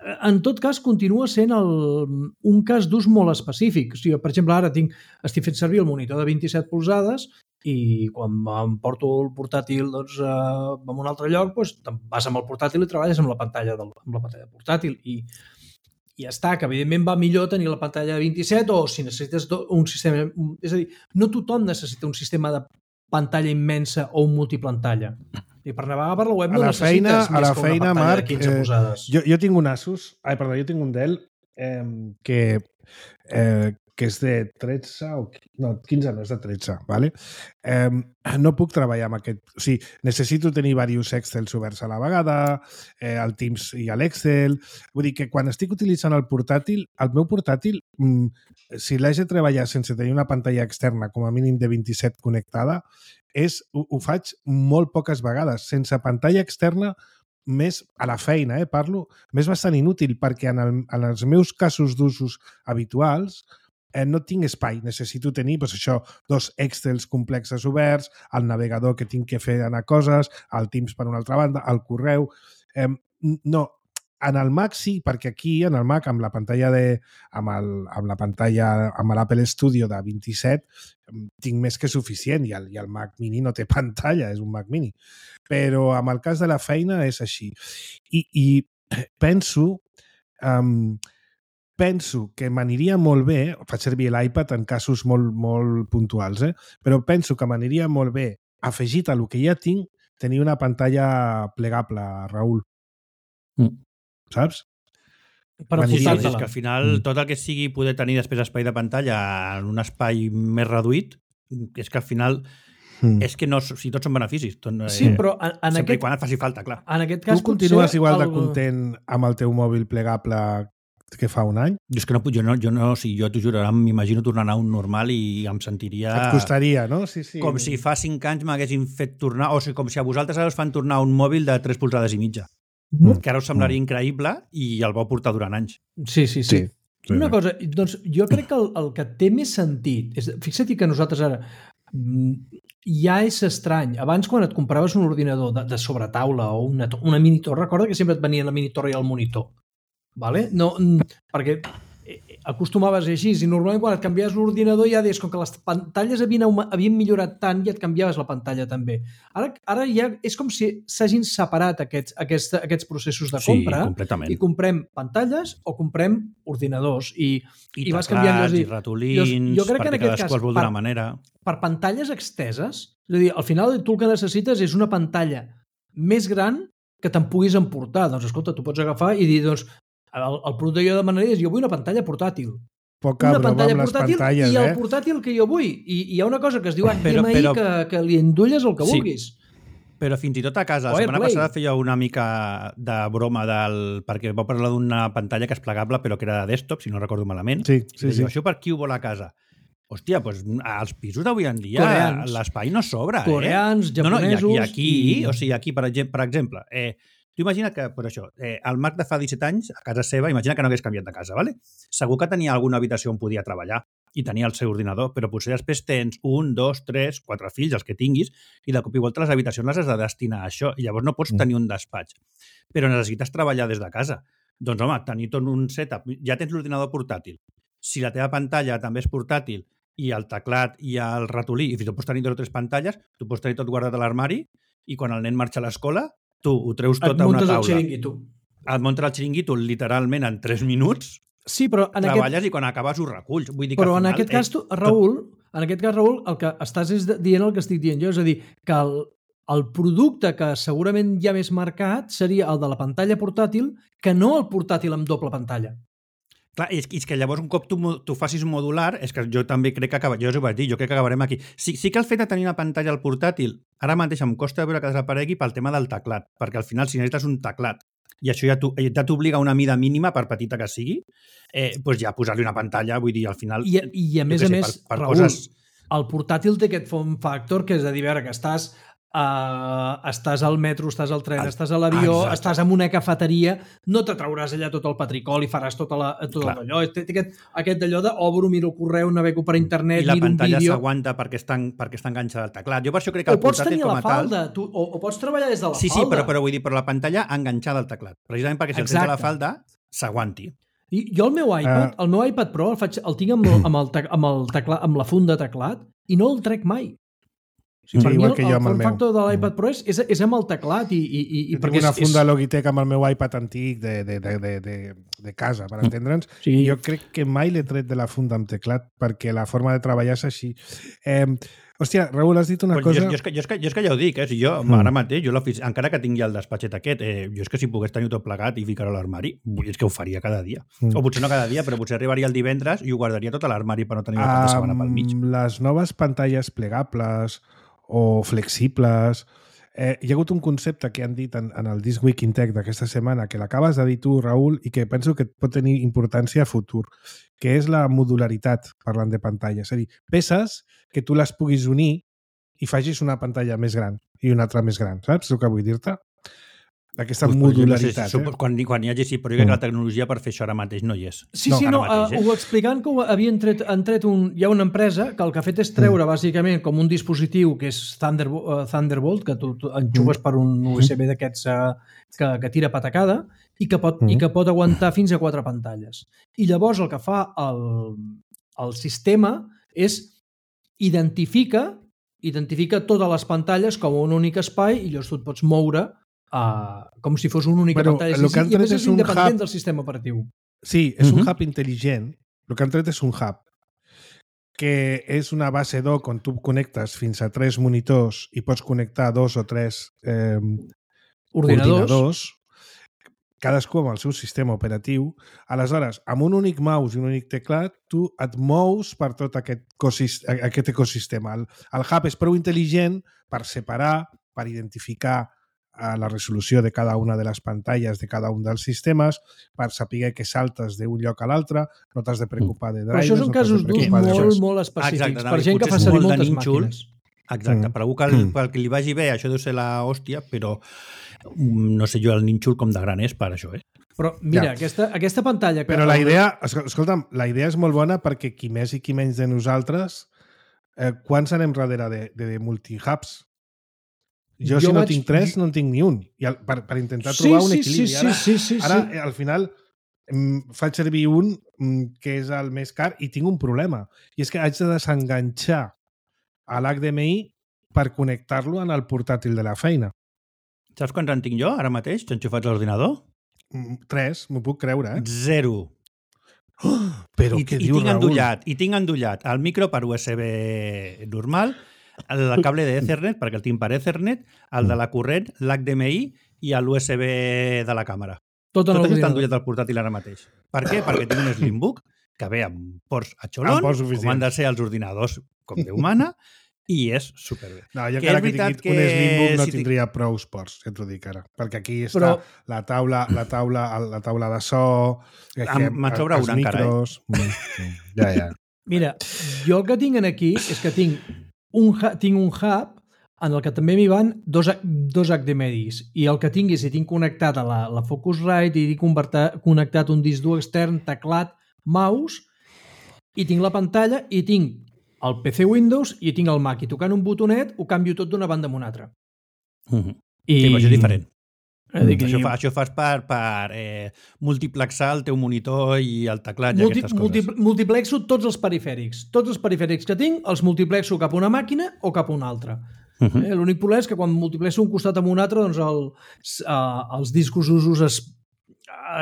Speaker 3: en tot cas, continua sent el, un cas d'ús molt específic. O sigui, per exemple, ara tinc, estic fent servir el monitor de vint-i-set polzades i quan em porto el portàtil doncs, eh, a un altre lloc, doncs, vas amb el portàtil i treballes amb la pantalla, del, amb la pantalla portàtil. I, i ja està, que evidentment va millor tenir la pantalla de vint-i-set o si necessites un sistema... És a dir, no tothom necessita un sistema de pantalla immensa o un multipantalla. I per navegar per la web no
Speaker 2: a la feina,
Speaker 3: necessites
Speaker 2: a la
Speaker 3: més que una
Speaker 2: feina,
Speaker 3: pantalla
Speaker 2: Marc,
Speaker 3: de quinze polzades.
Speaker 2: Eh, jo, jo tinc un Asus, ai, perdó, jo tinc un Dell eh, que, eh, que és de tretze o no, quinze no, és de tretze, ¿vale? Eh, no puc treballar amb aquest... O sigui, necessito tenir diversos Excels oberts a la vegada, eh, el Teams i l'Excel... Vull dir que quan estic utilitzant el portàtil, el meu portàtil, mm, si l'haig de treballar sense tenir una pantalla externa, com a mínim de vint-i-set connectada, és, ho, ho faig molt poques vegades. Sense pantalla externa, més a la feina, eh, parlo, m'és bastant inútil perquè en, el, en els meus casos d'usos habituals eh, no tinc espai. Necessito tenir doncs, això, dos Excels complexes oberts, el navegador que tinc que fer anar coses, el Teams per una altra banda, el correu... Eh, no, en el Mac sí, perquè aquí, en el Mac, amb la pantalla de, amb, el, amb la pantalla, amb l'Apple Studio de vint-i-set, tinc més que suficient i el, i el Mac Mini no té pantalla, és un Mac Mini. Però amb el cas de la feina és així. I, i penso, um, penso que m'aniria molt bé, faig servir l'iPad en casos molt, molt puntuals, eh? Però penso que m'aniria molt bé, afegit a lo que ja tinc, tenir una pantalla plegable, Raül.
Speaker 4: Mm.
Speaker 2: Saps?
Speaker 3: Per
Speaker 4: sí, sí,
Speaker 3: apuntar-te-la.
Speaker 4: és que al final tot el que sigui poder tenir després espai de pantalla en un espai més reduït, és que al final mm. és que no, si tots són beneficis. Tot, eh,
Speaker 3: Sí, però en, en
Speaker 4: sempre
Speaker 3: aquest,
Speaker 4: i quan et faci falta, clar.
Speaker 3: en aquest cas
Speaker 2: Tu continues
Speaker 3: potser
Speaker 2: igual de
Speaker 3: el-
Speaker 2: content amb el teu mòbil plegable que fa un any?
Speaker 4: Jo és que no puc, jo no, jo no, o sigui, jo t'ho juro, ara m'imagino tornar a un normal i em sentiria...
Speaker 2: Et costaria, no? Sí, sí.
Speaker 4: Com si fa cinc anys m'haguessin fet tornar, o sigui, com si a vosaltres ara us fan tornar un mòbil de tres polzades i mitja.
Speaker 2: Mm.
Speaker 4: Que ara us semblaria increïble i el vau portar durant anys.
Speaker 3: Sí, sí, sí.
Speaker 2: Sí, sí,
Speaker 3: Una
Speaker 2: sí.
Speaker 3: cosa, doncs jo crec que el, el que té més sentit és, fixa't que nosaltres ara mm, ja és estrany. Abans quan et compraves un ordinador de, de sobretaula o una, to- una minitor, recorda que sempre et venia la minitor i el monitor. Vale? No, mm, perquè eh, acostumaves a ser així i normalment quan et canviaves l'ordinador ja deies com que les pantalles havien, augma- havien millorat tant i et canviaves la pantalla també. Ara, ara ja és com si s'hagin separat aquests, aquests, aquests processos de compra
Speaker 4: Sí, completament.
Speaker 3: i comprem pantalles o comprem ordinadors i,
Speaker 4: I,
Speaker 3: i vas
Speaker 4: teclats,
Speaker 3: canviant
Speaker 4: i
Speaker 3: i
Speaker 4: ratolins,
Speaker 3: jo- jo crec que en
Speaker 4: perquè
Speaker 3: aquest
Speaker 4: cadascú
Speaker 3: cas,
Speaker 4: els vol d'una
Speaker 3: per-
Speaker 4: manera.
Speaker 3: per pantalles exteses, és a dir, al final tu el que necessites és una pantalla més gran que te'n puguis emportar. Doncs escolta, tu pots agafar i dir, doncs, el, el producte que jo demanaria és jo vull una pantalla portàtil.
Speaker 2: Poca
Speaker 3: Una
Speaker 2: broma
Speaker 3: pantalla
Speaker 2: amb les
Speaker 3: portàtil
Speaker 2: pantalles,
Speaker 3: i el
Speaker 2: eh?
Speaker 3: portàtil que jo vull. I, i hi ha una cosa que es diu H D M I
Speaker 4: Però- però-
Speaker 3: que, que li endulles el que
Speaker 4: Sí.
Speaker 3: vulguis.
Speaker 4: Però fins i tot a casa,
Speaker 3: O
Speaker 4: la setmana
Speaker 3: AirPlay.
Speaker 4: passada feia una mica de broma del... perquè vau parlar d'una pantalla que és plegable però que era de desktop, si no recordo malament.
Speaker 2: Sí,
Speaker 4: I
Speaker 2: sí,
Speaker 4: deia,
Speaker 2: sí.
Speaker 4: això per qui ho vol a casa? Hòstia, doncs als pisos d'avui en dia
Speaker 3: Coreans.
Speaker 4: l'espai no sobra,
Speaker 3: Coreans,
Speaker 4: eh? No, no, i aquí,
Speaker 3: japonesos
Speaker 4: i aquí
Speaker 3: i-
Speaker 4: o sigui, aquí, per exemple, per exemple eh, tu imagina que, per això, eh, el Marc de fa disset anys, a casa seva, imagina que no hagués canviat de casa, ¿vale? Segur que tenia alguna habitació on podia treballar i tenia el seu ordinador, però potser després tens un, dos, tres, quatre fills, els que tinguis, i de cop i volta les habitacions les has de destinar a això, i llavors no pots
Speaker 2: Mm.
Speaker 4: tenir un despatx. Però necessites treballar des de casa. Doncs, home, tenir tot un setup, ja tens l'ordinador portàtil. Si la teva pantalla també és portàtil i el teclat i el ratolí, i fins i tot pots tenir dos o tres pantalles, tu pots tenir tot guardat a l'armari i quan el nen marxa a l'escola, tu ho treus tot
Speaker 3: Et
Speaker 4: a una
Speaker 3: muntes el
Speaker 4: taula.
Speaker 3: xiringuito.
Speaker 4: Et muntes el xiringuito literalment en tres minuts,
Speaker 3: Sí, però en aquest,
Speaker 4: treballes i quan acabes ho reculls. Vull dir que
Speaker 3: però
Speaker 4: al
Speaker 3: en
Speaker 4: final,
Speaker 3: aquest cas, tu, Raül, en aquest cas, Raül, el que estàs és de- dient el que estic dient jo, és a dir, que el, el producte que segurament hi ha més marcat seria el de la pantalla portàtil que no el portàtil amb doble pantalla.
Speaker 4: Clar, és, és que llavors un cop tu, mo- tu facis modular, és que jo també crec que acaba, jo us ho vaig dir, jo crec que acabarem aquí. Sí, sí que el fet de tenir una pantalla al portàtil, ara mateix em costa veure que desaparegui pel tema del teclat, perquè al final si necessites un teclat i això ja t'o- ja t'obliga a una mida mínima, per petita que sigui, eh, doncs ja posar-li una pantalla, vull dir, al final...
Speaker 3: I, i a
Speaker 4: jo
Speaker 3: més
Speaker 4: què
Speaker 3: a
Speaker 4: sé,
Speaker 3: més,
Speaker 4: per, per
Speaker 3: Raül,
Speaker 4: coses...
Speaker 3: el portàtil té aquest form factor que és a dir, a veure, que estàs, uh, estàs al metro, estàs al tren,
Speaker 4: Ah,
Speaker 3: estàs a l'avió,
Speaker 4: exacte.
Speaker 3: estàs en una cafeteria, no te trauràs allà tot el patricol i faràs tota la, tot
Speaker 4: Clar.
Speaker 3: allò. Té, té aquest, aquest d'allò de obro, miro el correu, navego per internet,
Speaker 4: I la
Speaker 3: miro un
Speaker 4: pantalla
Speaker 3: vídeo...
Speaker 4: s'aguanta perquè, està, en- perquè està enganxada al teclat. Jo per això crec que
Speaker 3: O
Speaker 4: el
Speaker 3: pots
Speaker 4: portàtil
Speaker 3: tenir a
Speaker 4: com
Speaker 3: la
Speaker 4: a tal...
Speaker 3: falda, tu, o, o pots treballar des de la
Speaker 4: Sí, sí,
Speaker 3: falda.
Speaker 4: però, però vull dir, però la pantalla enganxada al teclat. Precisament perquè si el tens a la
Speaker 3: Exacte.
Speaker 4: falda, s'aguanti.
Speaker 3: I jo el meu iPad, uh, el meu iPad Pro el, faig, el tinc amb, el, amb, el, amb, el tecla, amb la funda teclat i no el trec mai. O sigui,
Speaker 2: sí,
Speaker 3: per
Speaker 2: igual
Speaker 3: mi
Speaker 2: que
Speaker 3: el,
Speaker 2: jo
Speaker 3: el
Speaker 2: amb el
Speaker 3: form
Speaker 2: meu.
Speaker 3: factor de l'iPad Pro és, és, és amb el teclat i... i, i
Speaker 2: jo
Speaker 3: perquè
Speaker 2: tinc una
Speaker 3: és,
Speaker 2: funda
Speaker 3: és...
Speaker 2: Logitech amb el meu iPad antic de, de, de, de, de, de casa, per entendre'ns.
Speaker 3: Sí.
Speaker 2: Jo crec que mai l'he tret de la funda amb teclat perquè la forma de treballar és així. Eh, hòstia, Raül, has dit una
Speaker 4: Pues
Speaker 2: cosa...
Speaker 4: Jo, jo, és que, jo, és que, jo és que ja ho dic, eh? Si jo, mm. ara mateix, jo encara que tingui el despatxet aquest, eh, jo és que si pogués tenir tot plegat i ficar-ho a l'armari, és que ho faria cada dia. Mm. O potser no cada dia, però potser arribaria el divendres i ho guardaria tot a l'armari per no tenir una um, setmana pel mig.
Speaker 2: Les noves pantalles plegables o flexibles... Eh, hi ha hagut un concepte que han dit en, en el This Week in Tech d'aquesta setmana, que l'acabes de dir tu, Raül, i que penso que pot tenir importància a futur, que és la modularitat, parlant de pantalles. És a dir, peces que tu les puguis unir i facis una pantalla més gran i una altra més gran, saps el que vull dir-te? Aquesta pues, modularitat.
Speaker 4: No sé, eh? quan, quan hi hagi, sí, però jo crec que la tecnologia per fer això ara mateix no hi és.
Speaker 3: Sí,
Speaker 4: no,
Speaker 3: sí, no,
Speaker 4: mateix,
Speaker 3: uh,
Speaker 4: eh?
Speaker 3: ho explicant que ho havien tret, han tret un, hi ha una empresa que el que ha fet és treure mm. bàsicament com un dispositiu que és Thunder, uh, Thunderbolt, que tu, tu enxugues mm. per un U S B d'aquests uh, que, que tira patacada i que, pot, mm. i que pot aguantar fins a quatre pantalles. I llavors el que fa el, el sistema és identifica, identifica totes les pantalles com un únic espai i llavors tu et pots moure Uh, com si fos una única
Speaker 2: bueno,
Speaker 3: pantalla. Sí, sí, i a més és, és independent hub... del sistema operatiu.
Speaker 2: Sí, és uh -huh. un hub intel·ligent. El que han tret és un hub que és una base dock on tu connectes fins a tres monitors i pots connectar dos o tres eh,
Speaker 3: ordinadors.
Speaker 2: ordinadors, cadascú amb el seu sistema operatiu. Aleshores, amb un únic mouse i un únic teclat, tu et mous per tot aquest, aquest ecosistema. El, el hub és prou intel·ligent per separar, per identificar a la resolució de cada una de les pantalles de cada un dels sistemes, per saber que saltes d'un lloc a l'altre, no t'has de preocupar de drivers...
Speaker 3: Però això són
Speaker 2: no
Speaker 3: casos d'ús molt, molt específics, Exacte, per gent que fa servir moltes màquines.
Speaker 4: Exacte, mm. per algú que, pel que li vagi bé això deu ser la hòstia, però no sé jo el nínxol com de gran és per això, eh?
Speaker 3: Però mira,
Speaker 2: ja.
Speaker 3: aquesta, aquesta pantalla... Que
Speaker 2: però la idea, escolta'm, la idea és molt bona perquè qui més i qui menys de nosaltres, eh, quants anem darrere de, de, de multihubs? Jo, jo si no vaig... tinc tres, no en tinc ni un. I el, per, per intentar trobar sí, un equilibri.
Speaker 3: Sí,
Speaker 2: ara,
Speaker 3: sí, sí, sí,
Speaker 2: ara
Speaker 3: sí.
Speaker 2: al final, em, faig servir un que és el més car i tinc un problema. I és que haig de desenganxar a l'H D M I per connectar-lo en el portàtil de la feina.
Speaker 4: Saps quants en tinc jo ara mateix, enxufats a l'ordinador?
Speaker 2: Tres, m'ho puc creure, eh?
Speaker 4: Zero.
Speaker 2: Oh, però
Speaker 4: I,
Speaker 2: què
Speaker 4: i
Speaker 2: diu,
Speaker 4: tinc
Speaker 2: Raül?
Speaker 4: endollat, I tinc endollat el micro per U S B normal, el cable d'Ethernet, perquè el tinc per Ethernet, el de la corrent, l'H D M I i l'U S B de la càmera.
Speaker 3: Tot,
Speaker 4: Tot això està endollat al portàtil ara mateix. Per què? Perquè tinc un Slimbook que ve amb ports a xolon, com han de ser els ordinadors com Déu mana, i és superbé.
Speaker 2: No, jo que encara que tingui que... un Slimbook no si tindria tinc... prou ports, ja t'ho dic ara. Perquè aquí està Però... la taula, la taula, la taula de so...
Speaker 4: Me'n sobra una encara,
Speaker 2: eh? Ja, ja.
Speaker 3: Mira, jo el que tinc aquí és que tinc un, tinc un hub en el que també m'hi van dos, dos H D M Is i el que tingui, si tinc connectat a la, la Focusrite i tinc connectat un disc dur extern, teclat, mouse, i tinc la pantalla i tinc el P C Windows i tinc el Mac, i tocant un botonet ho canvio tot d'una banda a una altra.
Speaker 4: Mm-hmm. I... Sí, però això és diferent.
Speaker 3: Mm.
Speaker 4: Mm. Això, fa, això fas per, per eh, multiplexar el teu monitor i el teclat i
Speaker 3: Multi,
Speaker 4: aquestes coses.
Speaker 3: Multi, multiplexo tots els perifèrics. Tots els perifèrics que tinc els multiplexo cap a una màquina o cap a una altra. Uh-huh. eh, L'únic problema és que quan multiplexo un costat amb un altre, doncs el, uh, els discos usos es,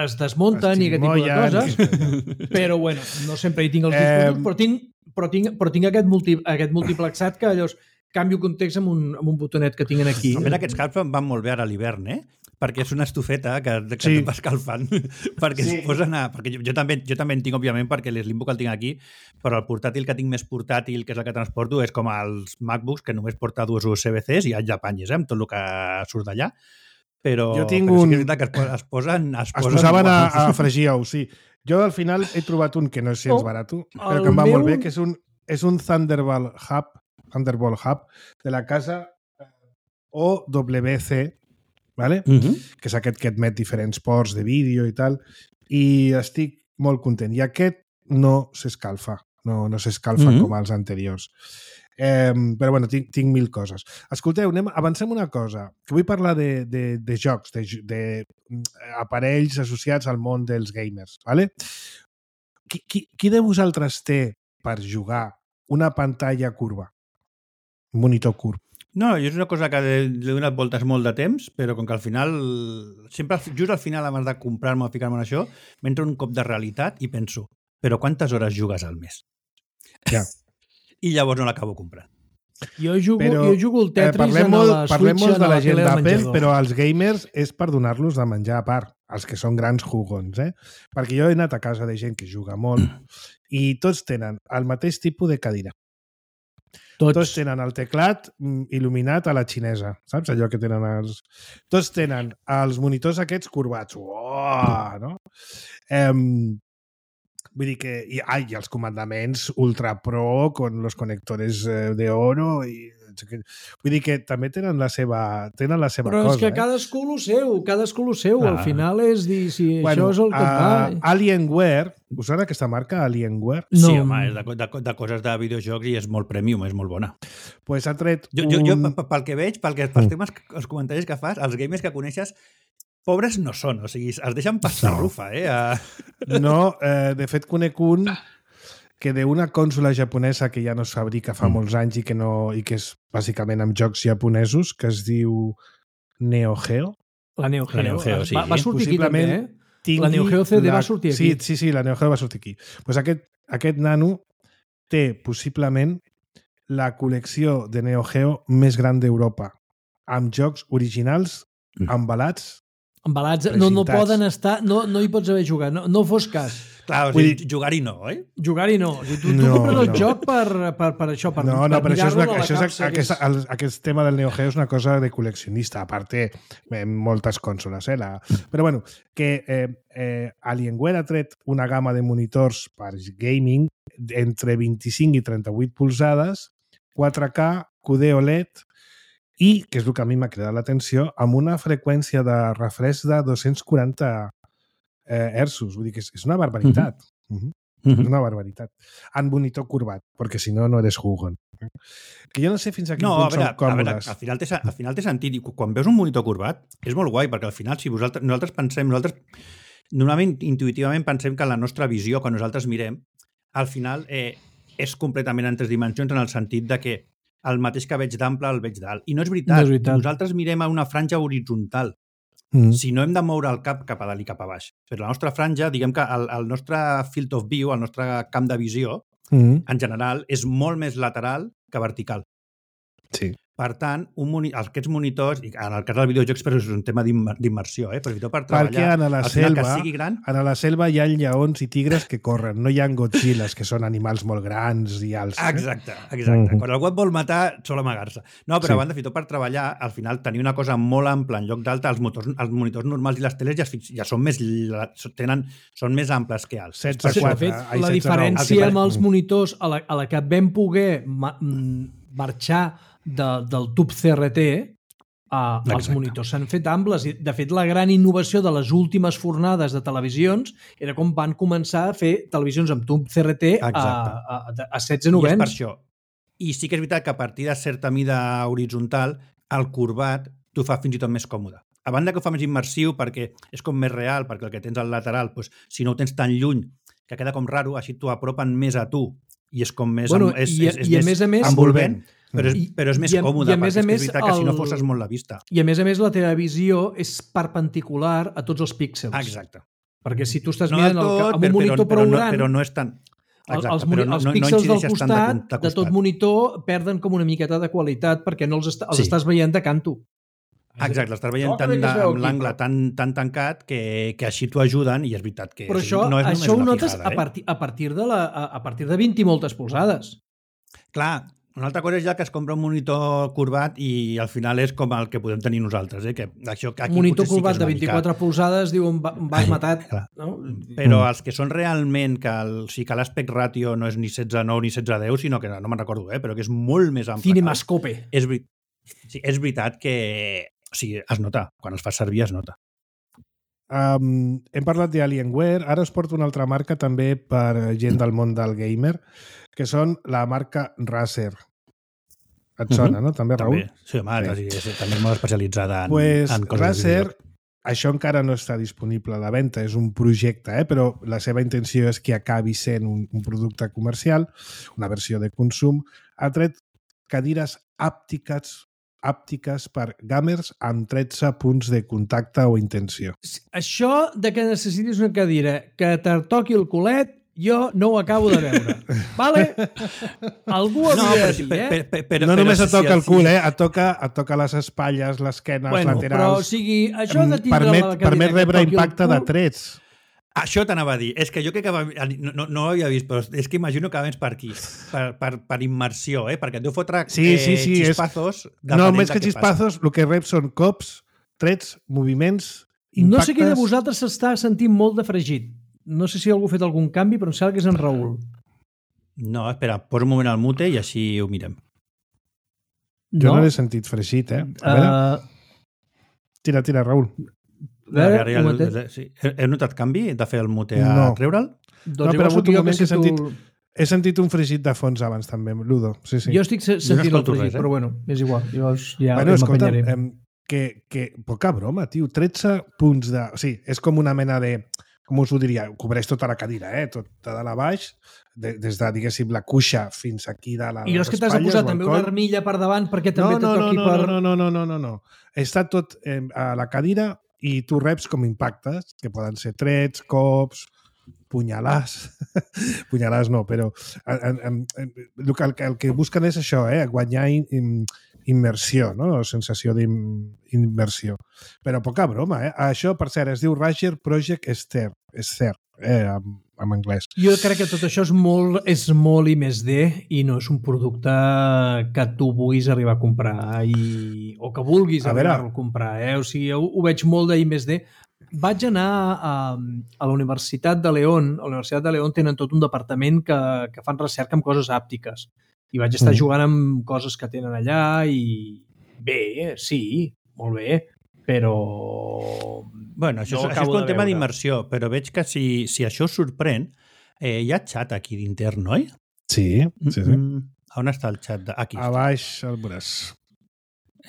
Speaker 3: es desmunten i aquest tipus de coses. Però bueno, no sempre hi tinc els discos eh... usos, però tinc, però tinc, però tinc aquest, multi, aquest multiplexat que llavors canvio context amb un, amb un botonet que tinc aquí.
Speaker 4: A veure, aquests caps van molt bé ara a l'hivern, eh? Perquè és una estufeta que, que sí. et va escalfant. perquè sí. es posen a... Perquè jo, jo, també, jo també en tinc, òbviament, perquè l'Slimbook el tinc aquí, però el portàtil que tinc més portàtil, que és el que transporto, és com els MacBooks, que només porta dues U S B Cs i allà panyes, eh? Amb tot el que surt d'allà. Però,
Speaker 2: jo tinc
Speaker 4: però
Speaker 2: un...
Speaker 4: sí que és veritat que es, es posen... Es,
Speaker 2: es
Speaker 4: posen
Speaker 2: posaven a, a fregir ous, sí. Jo al final he trobat un que no és gens oh, barat, però que em va meu... molt bé, que és un, és un Thunderbolt Hub, Thunderbolt Hub de la casa O W C, vale? Uh-huh. Que és aquest que admet diferents ports de vídeo i tal, i estic molt content. I aquest no s'escalfa, no, no s'escalfa uh-huh. com els anteriors. Eh, però bueno, tinc, tinc mil coses. Escolteu, anem, avancem una cosa, que vull parlar de, de, de jocs, de, de aparells associats al món dels gamers. ¿Vale? Qui, qui, qui de vosaltres té per jugar una pantalla curva? Un monitor curv?
Speaker 4: No, jo és una cosa que he donat voltes molt de temps, però com que al final, sempre just al final, abans de comprar-me o ficar-me en això, m'entra un cop de realitat i penso, però quantes hores jugues al mes?
Speaker 2: Ja.
Speaker 4: I llavors no l'acabo comprant.
Speaker 3: Jo jugo,
Speaker 2: però,
Speaker 3: jo jugo el Tetris
Speaker 2: eh, parlem
Speaker 3: en
Speaker 2: molt,
Speaker 3: la
Speaker 2: parlem
Speaker 3: Switch
Speaker 2: molt de
Speaker 3: en
Speaker 2: la
Speaker 3: la
Speaker 2: gent
Speaker 3: tele del
Speaker 2: d'Apple,
Speaker 3: menjador.
Speaker 2: però als gamers és per donar-los de menjar a part, els que són grans jugons, eh? Perquè jo he anat a casa de gent que juga molt i tots tenen el mateix tipus de cadira.
Speaker 3: Tots.
Speaker 2: Tots tenen el teclat mm, il·luminat a la xinesa, saps? Allò que tenen els... Tots tenen els monitors aquests corbats. Uoh, no? Eh, vull dir que... I, ai, i els comandaments ultra pro con los conectores eh, de oro i... Vull dir que també tenen la seva, tenen la seva
Speaker 3: Però
Speaker 2: cosa.
Speaker 3: és que
Speaker 2: eh?
Speaker 3: cadascú lo seu, cadascú lo seu.
Speaker 4: Ah.
Speaker 3: Al final és dir si
Speaker 2: Bueno,
Speaker 3: això és el que et va.
Speaker 2: uh, Alienware, us sona aquesta marca, Alienware?
Speaker 3: No.
Speaker 4: Sí, home, és de, de, de coses de videojocs i és molt premium, és molt bona.
Speaker 2: Pues ha tret
Speaker 4: Jo,
Speaker 2: un...
Speaker 4: jo, jo p- pel que veig, pel que, pels temes, els comentaris que fas, els gamers que coneixes, pobres no són, o sigui, es deixen passar
Speaker 2: No.
Speaker 4: rufa, eh? A...
Speaker 2: No, eh, de fet conec un que d'una consola japonesa que ja no es fabrica fa mm. molts anys i que, no, i que és bàsicament amb jocs japonesos, que es diu Neo Geo.
Speaker 3: La Neo Geo.
Speaker 4: La Neo Geo, sí.
Speaker 3: Va, va sortir aquí també, eh?
Speaker 2: tingui
Speaker 3: La Neo Geo C D
Speaker 2: la...
Speaker 3: va sortir aquí.
Speaker 2: Sí, sí, sí, la Neo Geo va sortir aquí. Pues aquest, aquest nano té possiblement la col·lecció de Neo Geo més gran d'Europa, amb jocs originals,
Speaker 4: Mm.
Speaker 2: embalats.
Speaker 3: Embalats, no, no
Speaker 2: Precintats.
Speaker 3: poden estar... No, no hi pots haver jugat, no, no fos cas.
Speaker 4: Clar, o
Speaker 2: Vull
Speaker 4: sigui, jugar-hi no, oi?
Speaker 3: Jugar-hi no. O sigui, tu, tu
Speaker 2: No,
Speaker 3: compres el
Speaker 2: no.
Speaker 3: joc per, per, per això, per,
Speaker 2: No, no,
Speaker 3: per
Speaker 2: però això és, una,
Speaker 3: mirar-lo a la
Speaker 2: això és
Speaker 3: capsa,
Speaker 2: aquest,
Speaker 3: que és-
Speaker 2: el, aquest tema del Neo Geo és una cosa de col·leccionista, a part té eh, moltes consoles. Eh, la... Però bueno, que eh, eh, Alienware ha tret una gamma de monitors per gaming entre vint-i-cinc i trenta-vuit polzades, quatre K, Q D O L E D i, que és el que a mi m'ha cridat l'atenció, amb una freqüència de refresc de dos-cents quaranta eh, hertzos. Vull dir que és, és una barbaritat. Uh -huh. És una barbaritat. En monitor curvat, perquè si no, no eres jugón. Que jo no sé fins a quin
Speaker 4: No, a
Speaker 2: punt
Speaker 4: veure,
Speaker 2: són
Speaker 4: a veure,
Speaker 2: còmodes.
Speaker 4: al final, té, al final té sentit. I quan veus un monitor curvat, és molt guai, perquè al final, si vosaltres, nosaltres pensem, nosaltres normalment, intuïtivament, pensem que la nostra visió, quan nosaltres mirem, al final eh, és completament en tres dimensions, en el sentit de que el mateix que veig d'ample el veig d'alt. I no és veritat.
Speaker 3: No és veritat.
Speaker 4: Nosaltres mirem a una franja horitzontal.
Speaker 2: Mm.
Speaker 4: Si no hem de moure el cap cap a dalt i cap a baix. Però la nostra franja, diguem que el, el nostre field of view, el nostre camp de visió,
Speaker 2: Mm.
Speaker 4: en general, és molt més lateral que vertical.
Speaker 2: Sí.
Speaker 4: Per tant, un moni aquests monitors, i en el cas dels videojocs, però és un tema d'immer- d'immersió, eh? Però per treballar,
Speaker 2: Perquè en la
Speaker 4: al final,
Speaker 2: selva,
Speaker 4: que sigui gran,
Speaker 2: a la selva hi ha lleons i tigres que corren, no hi ha Godzillas, que són animals molt grans i alts. Eh?
Speaker 4: exacte, exacte.
Speaker 2: Mhm.
Speaker 4: Quan algú et vol matar, sol amagar-se. No, però
Speaker 2: Sí.
Speaker 4: a banda, fins i tot per treballar, al final, tenir una cosa molt ampla en lloc d'alta, els, motors, els monitors normals i les teles ja, es fix- ja són més la- tenen, són més amples que alts.
Speaker 2: setze
Speaker 4: Per
Speaker 3: Sí,
Speaker 4: això.
Speaker 3: de
Speaker 2: quatre,
Speaker 3: fet,
Speaker 2: ai,
Speaker 3: la
Speaker 2: setze nou.
Speaker 3: diferència
Speaker 4: El que
Speaker 3: amb els
Speaker 2: Mm.
Speaker 3: monitors a la, a la que vam poder ma, mm, marxar de, del tub C R T, uh, els
Speaker 4: Exacte.
Speaker 3: monitors s'han fet amples. I, de fet, la gran innovació de les últimes fornades de televisions era com van començar a fer televisions amb tub C R T a,
Speaker 4: Exacte.
Speaker 3: a, a, a setze
Speaker 4: I és per
Speaker 3: novens.
Speaker 4: això. I sí que és veritat que a partir de certa mida horitzontal, el corbat t'ho fa fins i tot més còmode. A banda que ho fa més immersiu perquè és com més real, perquè el que tens al lateral, doncs, si no ho tens tan lluny, que queda com raro, així t'ho apropen més a tu i és com més...
Speaker 3: Bueno,
Speaker 4: és,
Speaker 3: i-
Speaker 4: és, és
Speaker 3: i a
Speaker 4: més,
Speaker 3: més a més-
Speaker 4: envolvent, però és,
Speaker 3: I-
Speaker 4: però és més
Speaker 3: i a-
Speaker 4: còmode,
Speaker 3: i a més
Speaker 4: perquè
Speaker 3: a
Speaker 4: és, que
Speaker 3: més
Speaker 4: és veritat que si no
Speaker 3: el-
Speaker 4: fosses molt la vista.
Speaker 3: I a més a més la teva visió és perpendicular a tots els píxels.
Speaker 4: Exacte.
Speaker 3: Perquè si tu estàs
Speaker 4: No
Speaker 3: mirant
Speaker 4: del
Speaker 3: el,
Speaker 4: tot,
Speaker 3: amb un monitor
Speaker 4: però,
Speaker 3: prou
Speaker 4: no,
Speaker 3: gran,
Speaker 4: però no és tan...
Speaker 3: el,
Speaker 4: Exacte,
Speaker 3: els,
Speaker 4: però
Speaker 3: moni-
Speaker 4: no,
Speaker 3: els
Speaker 4: no, no
Speaker 3: píxels del
Speaker 4: incideixes tant de,
Speaker 3: costat,
Speaker 4: de,
Speaker 3: de,
Speaker 4: costat.
Speaker 3: tot monitor, perden com una miqueta de qualitat perquè no els, est els
Speaker 4: Sí.
Speaker 3: estàs veient de canto.
Speaker 4: Exacte, l'estàs veient
Speaker 3: No,
Speaker 4: tan
Speaker 3: que bé que es
Speaker 4: de,
Speaker 3: veu
Speaker 4: amb
Speaker 3: aquí,
Speaker 4: l'angle
Speaker 3: però-
Speaker 4: tan, tan tancat que, que així t'ho ajuden i és veritat que
Speaker 3: Però
Speaker 4: o sigui,
Speaker 3: això,
Speaker 4: no és
Speaker 3: això
Speaker 4: només
Speaker 3: ho
Speaker 4: una
Speaker 3: notes
Speaker 4: fijada,
Speaker 3: a,
Speaker 4: eh?
Speaker 3: partir, a, partir de la, a, a partir de vint i moltes polzades.
Speaker 4: Clar, una altra cosa és ja que es compra un monitor curvat i al final és com el que podem tenir nosaltres, eh? Que això, que aquí
Speaker 3: Un monitor
Speaker 4: potser sí que
Speaker 3: curvat
Speaker 4: és
Speaker 3: de
Speaker 4: una
Speaker 3: vint-i-quatre polzades diu em va- em vas matat.
Speaker 4: clar.
Speaker 3: No?
Speaker 4: Mica. Però els que són realment que, el, sí que l'aspect ràtio no és ni setze nou ni setze deu, sinó que no, no me'n recordo, eh? Però que és molt més ample.
Speaker 3: Cinemascope.
Speaker 4: És, veri- sí, és veritat que o sigui, es nota, quan els fas servir es nota.
Speaker 2: Um, hem parlat d'Alienware, ara us porto una altra marca també per gent del món del gamer, que són la marca Razer. Et sona, uh-huh. no? També, Raül?
Speaker 4: També. Sí, home, sí. És, també és molt especialitzada en,
Speaker 2: pues,
Speaker 4: en coses
Speaker 2: Razer,
Speaker 4: de
Speaker 2: això encara no està disponible a la venda, és un projecte, eh? Però la seva intenció és que acabi sent un, un producte comercial, una versió de consum. Ha tret cadires àptiques àptiques per gamers amb tretze punts de contacte o intenció.
Speaker 3: Això de que necessitis una cadira que te toqui el culet, jo no ho acabo de veure. Vale? Algú ho havia de dir, eh?
Speaker 4: Per, per, per,
Speaker 2: no
Speaker 4: però
Speaker 2: només et toca
Speaker 4: si
Speaker 2: el cul, eh? Et toca, et toca les espatlles, l'esquena,
Speaker 3: bueno,
Speaker 2: els laterals.
Speaker 3: Però, o sigui, això de tindre
Speaker 2: permet,
Speaker 3: la cadira
Speaker 2: permet rebre impacte de trets.
Speaker 4: Això t'anava a dir. És que jo crec que va, no, no, no ho havia vist, però és que imagino que va més per aquí, per, per, per immersió, eh? Perquè et deu fotre
Speaker 2: sí, sí, sí,
Speaker 4: eh, xispazos.
Speaker 2: És... No, més que xispazos, el que rep són cops, trets, moviments, impactes...
Speaker 3: No sé qui de vosaltres s'està sentint molt de fregit. No sé si algú ha fet algun canvi, però em sembla que és en Raül.
Speaker 4: No, espera, posa un moment al mute i així ho mirem.
Speaker 2: Jo no, no l'he sentit fregit, eh? A veure... Uh... Tira, tira, Raül.
Speaker 3: Veure,
Speaker 4: ja, ja, ja, sí. He notat canvi de fer el mute a
Speaker 2: no.
Speaker 4: treure'l?
Speaker 2: Doncs no, però un moment que he sentit, tu... he sentit un fregit de fons abans també, Ludo. Sí, sí.
Speaker 3: Jo estic sentint el fregit, res, eh? Però bueno, és igual. Jo ja
Speaker 2: bueno, escolta, eh, que, que poca broma, tio. tretze punts de... O sigui, és com una mena de... Com us ho diria? Cobreix tota la cadira, eh? Tot de dalt a baix, de, des de, diguéssim, la cuixa fins aquí de la...
Speaker 3: I jo és que t'has de posar també una armilla per davant perquè també
Speaker 2: no, no,
Speaker 3: te toqui
Speaker 2: no, no,
Speaker 3: per...
Speaker 2: No, no, no, no, no, no. Està tot eh, a la cadira i tu reps com impactes, que poden ser trets, cops, punyalars. Punyalars no, però en, en, en, el, que, el que busquen és això, eh? Guanyar in, immersió, no? Sensació d'immersió. Però poca broma, eh? Això, per cert, es diu Razer Project Esther, Esther eh? en, en anglès.
Speaker 3: Jo crec que tot això és molt, és molt I més D i no és un producte que tu vulguis arribar a comprar i, o que vulguis a arribar a comprar. Eh? O sigui, ho, ho veig molt d'I més D. Vaig anar a, a la Universitat de León. A la Universitat de León tenen tot un departament que, que fan recerca amb coses àptiques. I vaig estar mm. jugant amb coses que tenen allà i bé, sí, molt bé, però...
Speaker 4: Bueno, això, no això és un tema d'immersió, però veig que si, si això us sorprèn, eh, hi ha xat aquí d'intern, oi?
Speaker 2: Sí, sí, sí.
Speaker 4: Mm, on està el xat? De... Aquí.
Speaker 2: A baix el veuràs.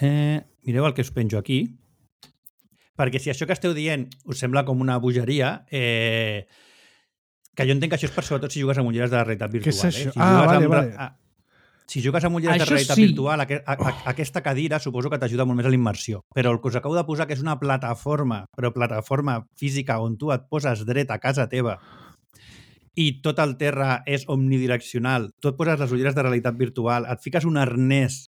Speaker 4: Eh, mireu el que us penjo aquí. Perquè si això que esteu dient us sembla com una bogeria, eh, que jo entenc que això és per sobretot si jugues amb ulleres de realitat virtual.
Speaker 2: Què és això?
Speaker 4: Eh? Si
Speaker 2: ah, vale,
Speaker 4: amb...
Speaker 2: vale.
Speaker 4: Ah, si jugues amb ulleres
Speaker 3: això
Speaker 4: de realitat
Speaker 3: sí.
Speaker 4: virtual, a, a, a, aquesta cadira suposo que t'ajuda molt més a la immersió. Però el que us acabo de posar, que és una plataforma, però plataforma física on tu et poses dret a casa teva i tot el terra és omnidireccional, tu et poses les ulleres de realitat virtual, et fiques un arnès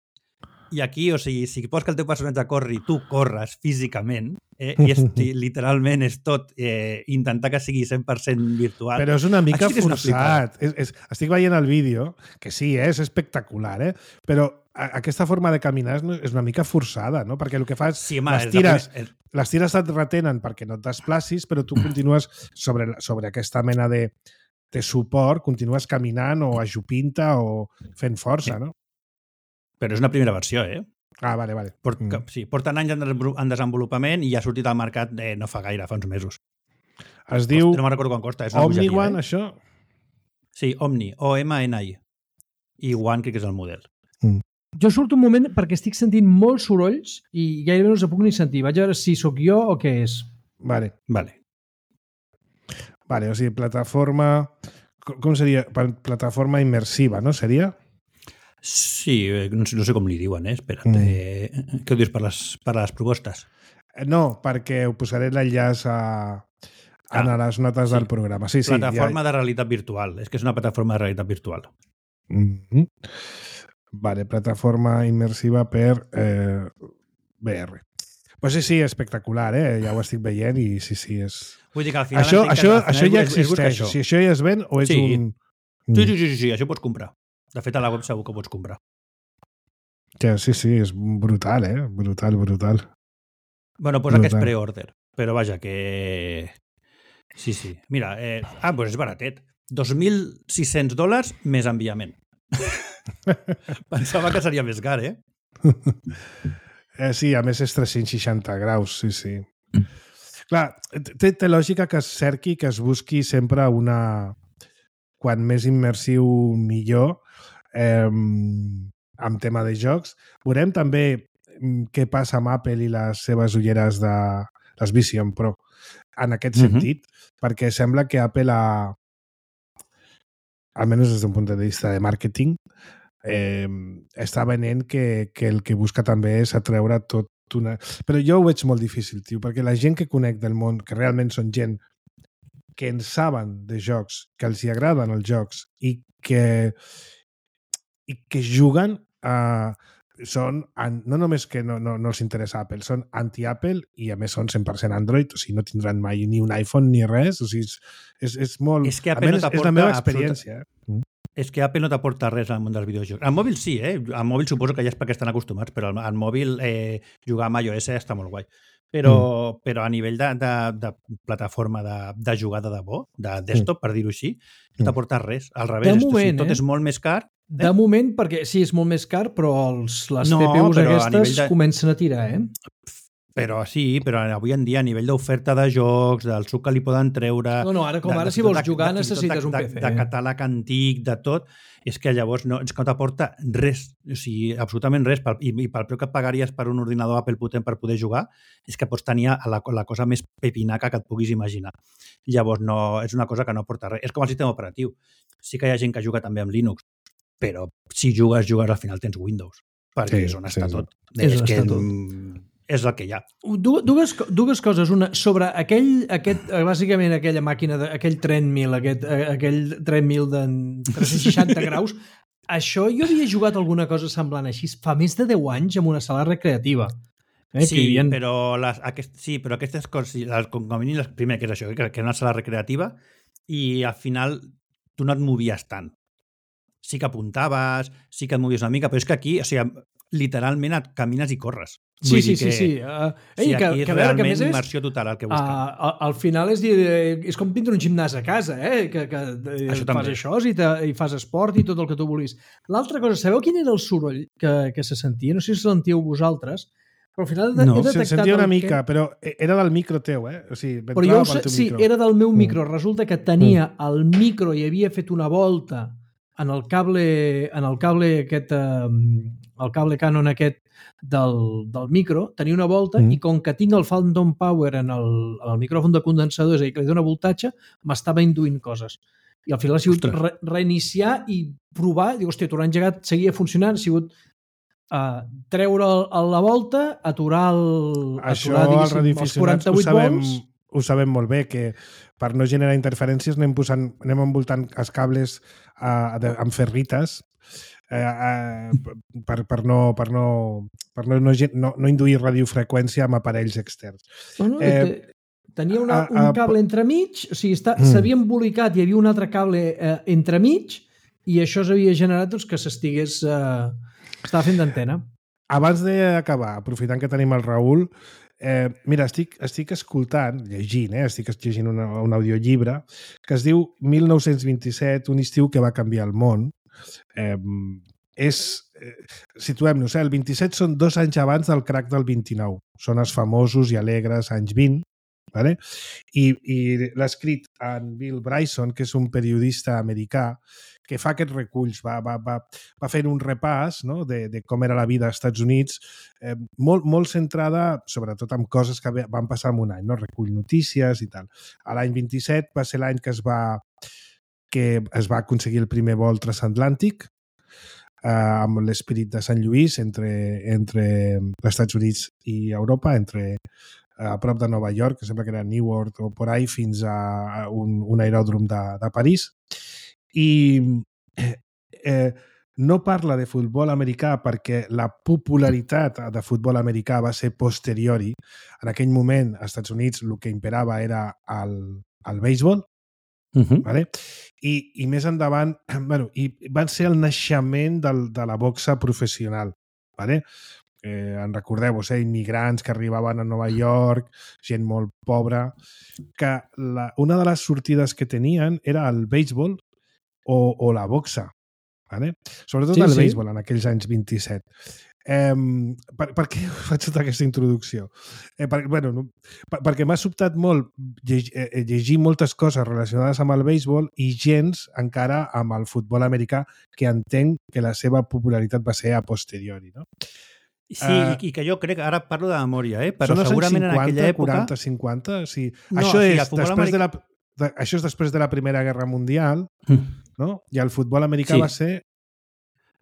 Speaker 4: i aquí, o sigui, si vols que el teu personatge corri, tu corres físicament, eh? I és, literalment és tot eh, intentar que sigui cent per cent virtual.
Speaker 2: Però és una mica
Speaker 4: sí
Speaker 2: forçat. És, és, estic veient el vídeo, que sí, eh, és espectacular, eh? Però a, aquesta forma de caminar és, és una mica forçada, no? Perquè el que fas,
Speaker 4: sí, home,
Speaker 2: les tires, el... les tires et retenen perquè no et desplacis, però tu continues sobre, sobre aquesta mena de, de suport, continues caminant o ajupint-te o fent força, no?
Speaker 4: Però és una primera versió, eh?
Speaker 2: Ah, vale, vale.
Speaker 4: Port, mm. Sí, porten anys en desenvolupament i ha sortit al mercat eh, no fa gaire, fa uns mesos.
Speaker 2: Es diu...
Speaker 4: No me'n recordo quan costa. És una
Speaker 2: Omni
Speaker 4: bogeria,
Speaker 2: One,
Speaker 4: eh?
Speaker 2: això?
Speaker 4: Sí, Omni, O M N I. I One crec que és el model.
Speaker 2: Mm.
Speaker 3: Jo surto un moment perquè estic sentint molts sorolls i gairebé no els puc ni sentir. Vaig a veure si sóc jo o què és.
Speaker 2: Vale.
Speaker 4: Vale.
Speaker 2: Vale, o sigui, plataforma... Com seria? Plataforma immersiva, no? Seria?
Speaker 4: Sí, no sé, no sé com li diuen, eh? Espera't. Mm. Eh, què ho dius per les, per les propostes?
Speaker 2: No, perquè ho posaré l'enllaç a, a ah, les notes sí. del programa. Sí, sí,
Speaker 4: plataforma
Speaker 2: ja...
Speaker 4: de realitat virtual. És que és una plataforma de realitat virtual.
Speaker 2: Mm-hmm. Vale, plataforma immersiva per eh, V R. Pues sí, sí, espectacular, eh? Ja ho estic veient i sí, sí, és...
Speaker 4: Vull dir que al final...
Speaker 2: Això, això,
Speaker 4: que,
Speaker 2: això ja
Speaker 4: és,
Speaker 2: existeix.
Speaker 4: És, és
Speaker 2: si això ja es ven o és
Speaker 4: sí.
Speaker 2: un...
Speaker 4: Sí, sí, sí, sí, sí, això pots comprar. De fet, a la web segur que pots comprar.
Speaker 2: Ja, sí, sí, és brutal, eh? Brutal, brutal.
Speaker 4: Bueno, posa brutal. Que és pre-order, però vaja, que... Sí, sí. Mira, eh... ah, doncs és baratet. dos mil sis-cents dòlars més enviament. Pensava que seria més car, eh?
Speaker 2: eh? Sí, a més és tres-cents seixanta graus, sí, sí. Clar, té, té lògica que es cerqui, que es busqui sempre una... Quan més immersiu, millor. Eh, amb tema de jocs. Veurem també què passa amb Apple i les seves ulleres de les Vision Pro en aquest
Speaker 4: Mhm.
Speaker 2: sentit, perquè sembla que Apple ha, almenys des d'un punt de vista de màrqueting, eh, està venent que, que el que busca també és atreure tot una... Però jo ho veig molt difícil, tio, perquè la gent que conec del món, que realment són gent que en saben de jocs, que els hi agraden els jocs i que, i que juguen a... són, no només que no, no, no els interessa Apple, són anti-Apple i a més són cent per cent Android, o sigui, no tindran mai ni un iPhone ni res, o sigui, és, és, és molt...
Speaker 4: És que Apple no
Speaker 2: és la meva experiència.
Speaker 4: Absoluta... És que Apple no t'aporta res al món dels videojocs. Al mòbil sí, eh? Al mòbil suposo que ja és perquè estan acostumats, però al, al mòbil eh, jugar amb iOS està molt guai. Però, mm. però a nivell de, de, de plataforma de, de jugada de bo, de desktop, mm. per dir-ho així, no t'aporta res. Al revés,
Speaker 3: de moment,
Speaker 4: tot
Speaker 3: eh?
Speaker 4: és molt més car. Eh?
Speaker 3: De moment, perquè sí, és molt més car, però els, les
Speaker 4: no,
Speaker 3: C P Us aquestes
Speaker 4: de...
Speaker 3: comencen a tirar, eh?
Speaker 4: Però sí, però avui en dia a nivell d'oferta de jocs, del suc que li poden treure...
Speaker 3: No, no, ara com
Speaker 4: de,
Speaker 3: ara
Speaker 4: de,
Speaker 3: si vols
Speaker 4: de,
Speaker 3: jugar
Speaker 4: de,
Speaker 3: necessites
Speaker 4: de,
Speaker 3: un P C.
Speaker 4: De, de catàleg antic, de tot, és que llavors no, és que no t'aporta res, o sigui, absolutament res, i, i pel preu que et pagaries per un ordinador Apple potent per poder jugar, és que pots tenir la, la cosa més pepinaca que et puguis imaginar. Llavors no, és una cosa que no aporta res. És com el sistema operatiu. Sí que hi ha gent que juga també amb Linux, però si jugues, jugues, al final tens Windows, perquè
Speaker 2: sí,
Speaker 4: és on
Speaker 2: sí,
Speaker 4: està
Speaker 2: sí.
Speaker 4: tot.
Speaker 3: És,
Speaker 4: és
Speaker 3: on
Speaker 4: que
Speaker 3: està tot.
Speaker 4: És el que hi ha.
Speaker 3: Dues, dues coses. Una, sobre aquell, aquest, bàsicament aquella màquina, de, aquell treadmill, aquest, aquell treadmill de tres-cents seixanta graus, això jo havia jugat alguna cosa semblant així fa més de deu anys en una sala recreativa. Eh,
Speaker 4: sí,
Speaker 3: havien...
Speaker 4: però les, aquest, sí, però aquestes coses, com a mínim, primer que és això, que era una sala recreativa, i al final tu no et movies tant. Sí que apuntaves, sí que et movies una mica, però és que aquí, o sigui, literalment et camines i corres.
Speaker 3: Sí,
Speaker 4: Vull
Speaker 3: sí,
Speaker 4: dir
Speaker 3: sí,
Speaker 4: que,
Speaker 3: sí. Uh, ei,
Speaker 4: sí,
Speaker 3: que,
Speaker 4: aquí és
Speaker 3: que, a veure, que
Speaker 4: realment
Speaker 3: més és,
Speaker 4: immersió total el que busca.
Speaker 3: Uh, al final és dir, és com tindre un gimnàs a casa, eh? que, que
Speaker 4: això
Speaker 3: fas
Speaker 4: també.
Speaker 3: això i, te, i fas esport i tot el que tu vulguis. L'altra cosa, sabeu quin era el soroll que, que se sentia? No sé si sentíeu vosaltres, però al final he,
Speaker 2: no,
Speaker 3: he detectat...
Speaker 2: Se sentia una mica,
Speaker 3: que...
Speaker 2: però era del micro teu, eh? O sigui,
Speaker 3: però jo sé, sí,
Speaker 2: micro.
Speaker 3: era del meu micro.
Speaker 2: Mm.
Speaker 3: Resulta que tenia mm. el micro i havia fet una volta en el cable, en el cable aquest, el cable Canon aquest del, del micro, tenia una volta mm. i com que tinc el Phantom Power en el, en el micròfon de condensador, és a dir, que li dona voltatge, m'estava induint coses. I al final ha sigut re, reiniciar i provar, dic, hòstia, tornar engegat, seguia funcionant, ha sigut uh, treure el, la volta, aturar, el,
Speaker 2: això,
Speaker 3: aturar diguéssim, els quaranta-vuit volts.
Speaker 2: Ho sabem molt bé, que per no generar interferències anem, posant, anem envoltant els cables uh, de, amb ferrites uh, uh, per, per, no, per, no, per no, no, no, no induir radiofreqüència amb aparells externs.
Speaker 3: No, no, eh, tenia una, un cable entremig, o sigui, s'havia mm. embolicat, hi havia un altre cable eh, entremig i això s'havia generat doncs, que s'estigués... Eh, estava fent d'antena.
Speaker 2: Abans d'acabar, aprofitant que tenim el Raül, Eh, mira, estic, estic escoltant, llegint, eh, estic llegint una, un audiollibre que es diu mil nou-cents vint-i-set, un estiu que va canviar el món. Eh, és, eh, situem-nos, eh, el vint-i-set són dos anys abans del crack del vint-i-nou. Són els famosos i alegres anys vint, vale? I, i l'ha escrit en Bill Bryson, que és un periodista americà, que fa aquests reculls, va, va, va, va fent un repàs, no?, de, de com era la vida als Estats Units, eh, molt, molt centrada sobretot en coses que van passar en un any, no? Recull notícies i tal. A l'any vint-i-set va ser l'any que es va, que es va aconseguir el primer vol transatlàntic eh, amb l'Spirit de Sant Lluís entre, entre els Estats Units i Europa, entre a prop de Nova York, que sembla que era Newark o por ahí, fins a un, un aeròdrom de, de París. I eh, no parla de futbol americà perquè la popularitat de futbol americà va ser posteriori. En aquell moment, als Estats Units, el que imperava era el, el béisbol, uh-huh. vale? I, i més endavant, bueno, i van ser el naixement del, de la boxa professional. Vale? Eh, en recordeu-vos, eh, immigrants que arribaven a Nova York, gent molt pobra, que la, una de les sortides que tenien era el béisbol o, o la boxa, vale? Sobretot sí, el béisbol sí. En aquells anys vint-i-set. Eh, per, per què faig tota aquesta introducció? Eh, per, bueno, no, per, perquè m'ha sobtat molt llegir, eh, llegir moltes coses relacionades amb el béisbol i gens encara amb el futbol americà, que entenc que la seva popularitat va ser a posteriori, no?
Speaker 4: Sí, uh, i que jo crec, ara parlo de memòria, eh? Però
Speaker 2: són els
Speaker 4: segurament
Speaker 2: cinquanta,
Speaker 4: en aquella època...
Speaker 2: quaranta, cinquanta, sí.
Speaker 4: No,
Speaker 2: això,
Speaker 4: sí,
Speaker 2: és després
Speaker 4: americà...
Speaker 2: de la, de, això és després de la Primera Guerra Mundial, mm. no? I el futbol americà sí. va ser...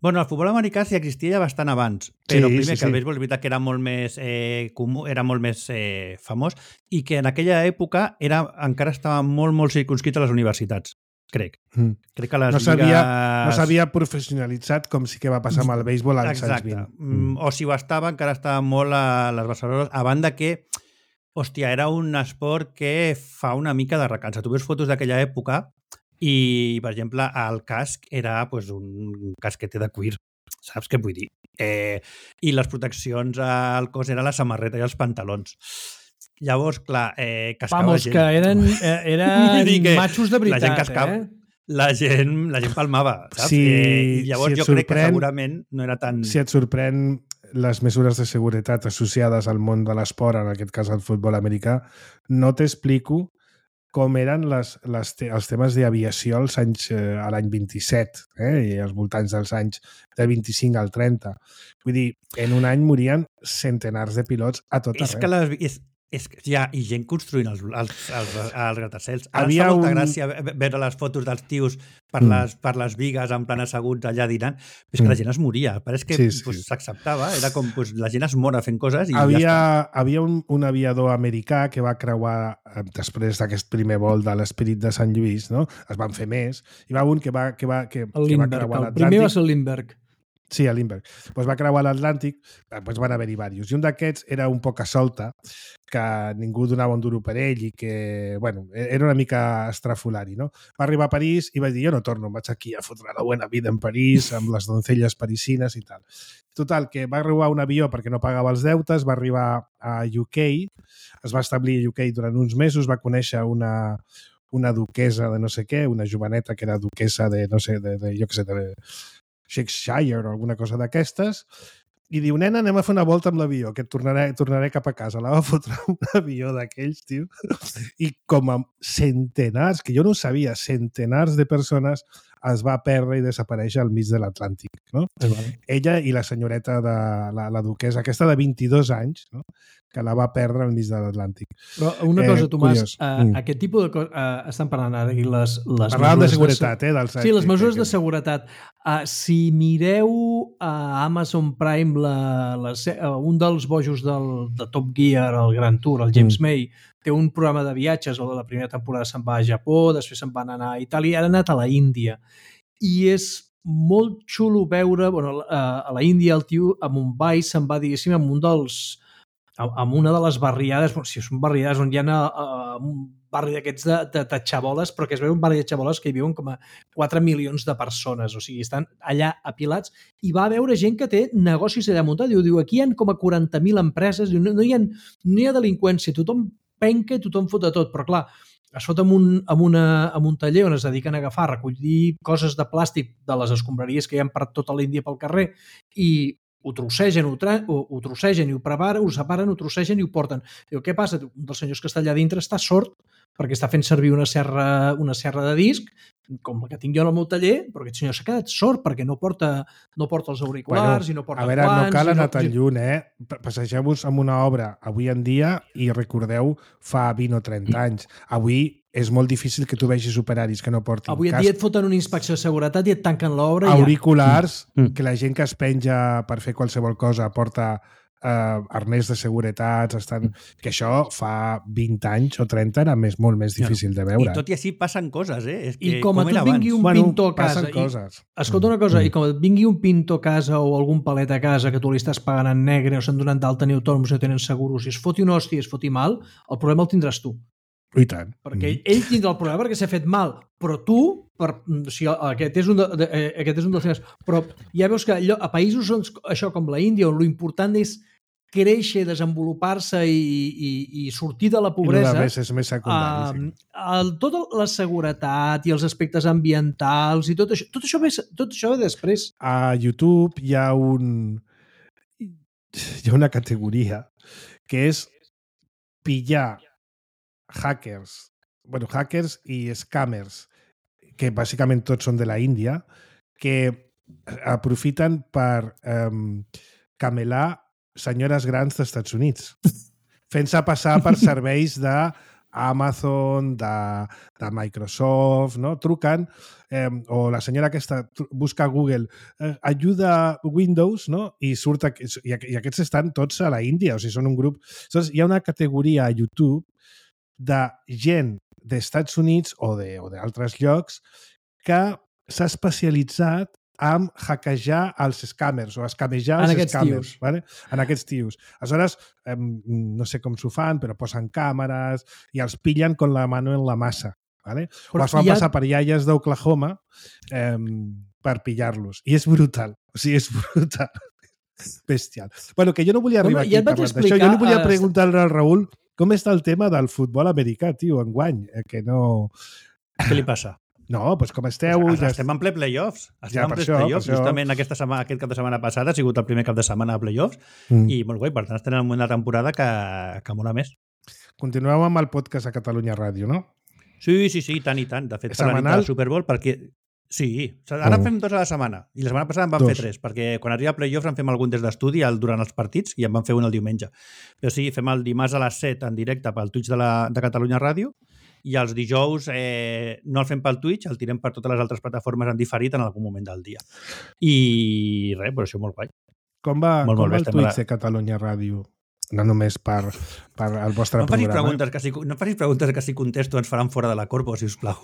Speaker 4: Bueno, el futbol americà sí existia ja bastant abans, però
Speaker 2: sí,
Speaker 4: primer
Speaker 2: sí,
Speaker 4: que el
Speaker 2: sí.
Speaker 4: béisbol és veritat que era molt més eh, comú, era molt més eh, famós i que en aquella època era, encara estava molt, molt circunscrit a les universitats. Crec. Mm. Crec que les
Speaker 2: no s'havia
Speaker 4: lligues...
Speaker 2: no s'havia professionalitzat com sí que va passar amb el béisbol als anys vint.
Speaker 4: Mm. O si ho estava, encara estava molt a les Barcelones, a banda que, hòstia, era un esport que fa una mica de recança. Tu veus fotos d'aquella època i, per exemple, el casc era pues, un casquete de cuir. Saps què vull dir? Eh, I les proteccions al cos eren la samarreta i els pantalons. Llavors, clar, eh, cascava
Speaker 3: Vamos,
Speaker 4: gent.
Speaker 3: que eren, eh, eren
Speaker 4: que
Speaker 3: matxos de veritat,
Speaker 4: la gent cascava,
Speaker 3: eh?
Speaker 4: La gent, la gent palmava, saps?
Speaker 2: Si,
Speaker 4: eh, I llavors
Speaker 2: si
Speaker 4: jo crec que segurament no era tan...
Speaker 2: Si et sorprèn les mesures de seguretat associades al món de l'esport, en aquest cas al futbol americà, no t'explico com eren les, les te els temes d'aviació als anys, eh, a l'any vint-i-set, eh, i als voltants dels anys de vint-i-cinc al trenta. Vull dir, en un any morien centenars de pilots a tot
Speaker 4: és
Speaker 2: arreu.
Speaker 4: Que les, és, és que hi ha i gent construint els, els, els, els gratacels. Ara
Speaker 2: Havia
Speaker 4: fa molta
Speaker 2: un...
Speaker 4: gràcia veure les fotos dels tios per,
Speaker 2: mm.
Speaker 4: les, per les vigues en plan asseguts allà dinant, però és que mm. la gent es moria. Pareix que
Speaker 2: sí, sí.
Speaker 4: pues, s'acceptava. Era com pues, la gent es mora fent coses i
Speaker 2: havia,
Speaker 4: ja està.
Speaker 2: Havia un, un aviador americà que va creuar eh, després d'aquest primer vol de l'Spirit de Sant Lluís, no? Es van fer més. Hi va un que va, que va, que,
Speaker 3: el
Speaker 2: que va creuar l'Atlàntic.
Speaker 3: El primer va ser el Lindbergh.
Speaker 2: Sí, a Lindbergh. Pues va creuar l'Atlàntic, pues van haver-hi diversos. I un d'aquests era un poc solta, que ningú donava un duro per ell i que, bueno, era una mica estrafolari, no? Va arribar a París i va dir, jo no torno, vaig aquí a fotre la bona vida en París, amb les doncelles parisines i tal. Total, que va arribar un avió perquè no pagava els deutes, va arribar a U K, es va establir a U K durant uns mesos, va conèixer una, una duquesa de no sé què, una joveneta que era duquesa de, no sé, de, de jo què sé, de Shakespeare o alguna cosa d'aquestes, i diu, nena, anem a fer una volta amb l'avió, que tornaré, tornaré cap a casa. La va fotre un avió d'aquells, tio, i com a centenars, que jo no ho sabia, centenars de persones es va perdre i desaparèixer al mig de l'Atlàntic, no? Sí, vale. Ella i la senyoreta, de la, la duquesa, aquesta de vint-i-dos anys, no? Que la va perdre al mig de l'Atlàntic.
Speaker 3: Però una cosa,
Speaker 2: eh,
Speaker 3: Tomàs, uh, mm. aquest tipus de coses... Uh, estan parlant ara aquí les, les
Speaker 2: Parlàvem de seguretat, de... eh? Dels...
Speaker 3: Sí, les mesures que... de seguretat. Uh, si mireu a Amazon Prime la, la, uh, un dels bojos del, de Top Gear, el Grand Tour, el James mm. May, té un programa de viatges, o de la primera temporada se'n va a Japó, després se'n van anar a Itàlia, ara ha anat a la Índia. I és molt xulo veure, bueno, a la Índia el tio a Mumbai se'n va, diguéssim, amb un dels... amb una de les barriades, bueno, si són barriades on hi ha uh, un barri d'aquests de, de, de xaboles, però que es veu un barri de xaboles que hi viuen com a quatre milions de persones, o sigui, estan allà apilats, i va veure gent que té negocis allà muntats, diu, diu aquí hi ha com a quaranta mil empreses, diu, no, no, hi ha, no hi ha delinqüència, tothom penca i tothom fot de tot, però clar, es fot amb un, amb, una, amb un taller on es dediquen a agafar, a recollir coses de plàstic de les escombraries que hi ha per tota l'Índia pel carrer i ho trossegen, ho, tra ho, ho trossegen i ho preparen, ho separen, ho trossegen i ho porten. Diu, què passa? Un dels senyors que està allà dintre està sord perquè està fent servir una serra, una serra de disc, com la que tinc jo en el meu taller, però aquest senyor s'ha quedat sord perquè no porta, no porta els auriculars bueno, i no porta
Speaker 2: a veure,
Speaker 3: guants...
Speaker 2: No cal anar
Speaker 3: no...
Speaker 2: tan lluny, eh? Passegeu-vos amb una obra avui en dia i recordeu fa vint o trenta anys. Avui és molt difícil que tu vegis operaris que no portin
Speaker 3: avui en
Speaker 2: casc.
Speaker 3: dia et foten una inspecció de seguretat i et tanquen l'obra.
Speaker 2: Auriculars,
Speaker 4: ja.
Speaker 2: que la gent que es penja per fer qualsevol cosa porta eh, arnès de seguretat, estan... que això fa vint anys o trenta era més, molt més difícil de veure.
Speaker 4: I tot i així passen coses, eh? És que,
Speaker 3: I com, com a tu et vingui un
Speaker 2: bueno,
Speaker 3: pintor a casa...
Speaker 2: coses.
Speaker 3: I, escolta una cosa, mm. i com et vingui un pintor a casa o algun palet a casa que tu li estàs pagant en negre o s'han donat d'alta ni autònoms no tenen seguros i es foti una hòstia i es foti mal, el problema el tindràs tu.
Speaker 2: I tant.
Speaker 3: Perquè mm. ell tindrà el problema perquè s'ha fet mal, però tu, per, o sigui, aquest, és un de, de, aquest és un dels temes, però ja veus que allò, a països on, això com la Índia, on l'important és créixer, desenvolupar-se i, i, i sortir de la pobresa,
Speaker 2: I és més secundari,
Speaker 3: uh, el, tota la seguretat i els aspectes ambientals i tot això, tot això ve, tot això ve després.
Speaker 2: A YouTube hi ha un... hi ha una categoria que és pillar hackers, bueno, hackers i scammers, que bàsicament tots són de la Índia, que aprofiten per um, camelar senyores grans dels Estats Units, fent-se passar per serveis de Amazon, de, de Microsoft, no? Truquen, eh, o la senyora aquesta busca a Google eh, ajuda Windows, no? I surt i, i aquests estan tots a la Índia, o sigui, són un grup. Llavors, hi ha una categoria a YouTube de gent dels Estats Units o d'altres llocs que s'ha especialitzat en hackejar els scammers o escamejar els scammers. Vale? En aquests tios. Aleshores, eh, no sé com s'ho fan, però posen càmeres i els pillen con la mano en la massa. Vale? O es fan ha... passar per iaies d'Oklahoma eh, per pillar-los. I és brutal. O sigui, és brutal. Bestial. Bueno, que jo no volia arribar bueno, aquí ja parlant d'això. Jo li volia preguntar al Raül com està el tema del futbol americà, tio, enguany. Eh, que no...
Speaker 4: Què li passa?
Speaker 2: No, doncs com esteu...
Speaker 4: Pues ja estem en ple playoffs. Estem ja, en ple això, playoffs. Justament aquesta setmana, aquest cap de setmana passada ha sigut el primer cap de setmana de playoffs mm. i molt guai, per tant estem en una temporada que, que mola més.
Speaker 2: Continueu amb el podcast a Catalunya Ràdio, no?
Speaker 4: Sí, sí, sí, tant i tant. De fet, per la nit de la Super Bowl, perquè... Sí, ara mm. fem dos a la setmana i la setmana passada en vam dos. fer tres, perquè quan arriba a playoffs en fem algun des d'estudi durant els partits i en vam fer un el diumenge. Però sí, fem el dimarts a les set en directe pel Twitch de, la, de Catalunya Ràdio i els dijous eh, no el fem pel Twitch, el tirem per totes les altres plataformes en diferit en algun moment del dia. I res, però això molt guai.
Speaker 2: Com va, molt, com molt va el Twitch la... de Catalunya Ràdio? No només per, per el vostre
Speaker 4: no
Speaker 2: programa.
Speaker 4: Preguntes que si, no facis preguntes que si contesto ens faran fora de la corpo, si us plau.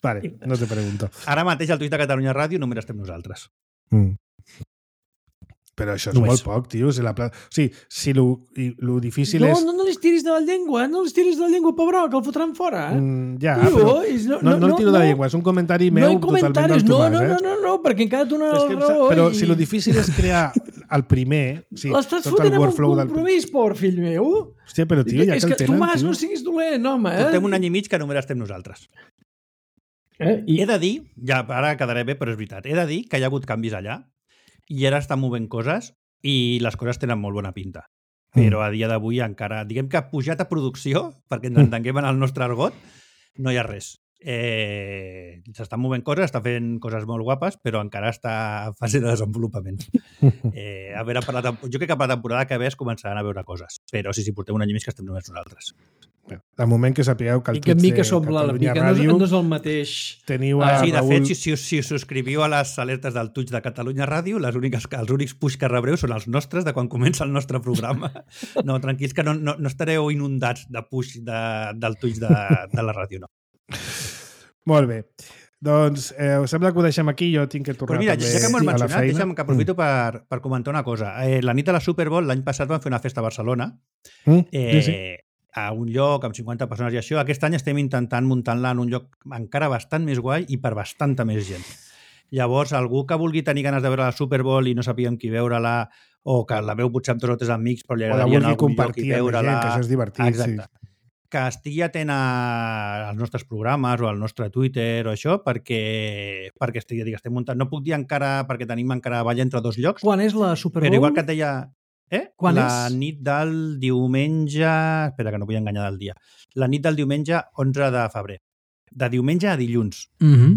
Speaker 2: Vale, no te pregunto.
Speaker 4: Ara mateix al Twitch de Catalunya Ràdio només estem nosaltres.
Speaker 2: Mm. Però això és només. Molt poc, tio. Si la pla... O sigui, si lo, lo difícil
Speaker 3: no,
Speaker 2: és...
Speaker 3: No, no les tiris de la llengua, no les tiris de la llengua, pobre, que el fotran fora. Eh?
Speaker 2: Mm, ja, tio, però és, no, no, no, no el tiro no, de la llengua, és un comentari meu no totalment del
Speaker 3: no,
Speaker 2: Tomàs.
Speaker 3: No,
Speaker 2: eh?
Speaker 3: no, no, no, perquè encara tu no
Speaker 2: és que, raó. Però i... si lo difícil és crear el primer... Sí,
Speaker 3: l'estàs fotent amb un compromís, del... por fill meu.
Speaker 2: Hòstia, però tio, ja que, que el tenen...
Speaker 3: Tomàs,
Speaker 2: tio.
Speaker 3: no siguis dolent, home. Eh?
Speaker 4: Portem un any i mig que només estem nosaltres. Eh? I... He de dir, ja ara quedaré bé, però és veritat, he de dir que hi ha hagut canvis allà i ara estan movent coses i les coses tenen molt bona pinta. Però a dia d'avui encara, diguem que ha pujat a producció, perquè ens entenguem en el nostre argot, no hi ha res. Eh, s'estan movent coses, està fent coses molt guapes, però encara està en fase de desenvolupament. Eh, a veure, per la, jo crec que per la temporada que ve es començaran a veure coses, però sí, sí, portem un any i mig que estem només nosaltres.
Speaker 2: De moment que sapigueu que el
Speaker 3: Twitch de Catalunya Ràdio no, no és el mateix.
Speaker 2: Teniu a
Speaker 4: ah, sí, de
Speaker 2: Raül...
Speaker 4: fet, si, si, si us subscriviu a les alertes del Twitch de Catalunya Ràdio, les úniques, els únics push que rebreu són els nostres de quan comença el nostre programa. No, tranquils, que no, no, no estareu inundats de push de, del Twitch de, de la ràdio, no.
Speaker 2: Molt bé. Doncs eh, us sembla que ho deixem aquí, jo tinc que tornar
Speaker 4: mira,
Speaker 2: també
Speaker 4: ja que m'ho
Speaker 2: a la
Speaker 4: mencionat,
Speaker 2: feina.
Speaker 4: Deixa'm que aprofito mm. per, per comentar una cosa. Eh, la nit de la Super Bowl, l'any passat vam fer una festa a Barcelona,
Speaker 2: mm,
Speaker 4: eh, sí, sí. a un lloc amb cinquanta persones i això. Aquest any estem intentant muntar-la en un lloc encara bastant més guai i per bastanta més gent. Llavors, algú que vulgui tenir ganes de veure la Super Bowl i no sapiguem qui veure-la, o que la veu potser amb dos o tres amics, però li agradaria anar a algun lloc i veure-la...
Speaker 2: Gent, que això és divertit,
Speaker 4: exacte. Sí. Que estigui atent als nostres programes o al nostre Twitter o això, perquè, perquè estigui, estem muntant. No puc dir encara, perquè tenim encara balla entre dos llocs.
Speaker 3: Quan és la Super Bowl?
Speaker 4: Però igual que et deia... Eh?
Speaker 3: Quan
Speaker 4: la
Speaker 3: és?
Speaker 4: nit del diumenge... Espera, que no vull enganyar del dia. La nit del diumenge onze de febrer. De diumenge a dilluns.
Speaker 3: Mhm.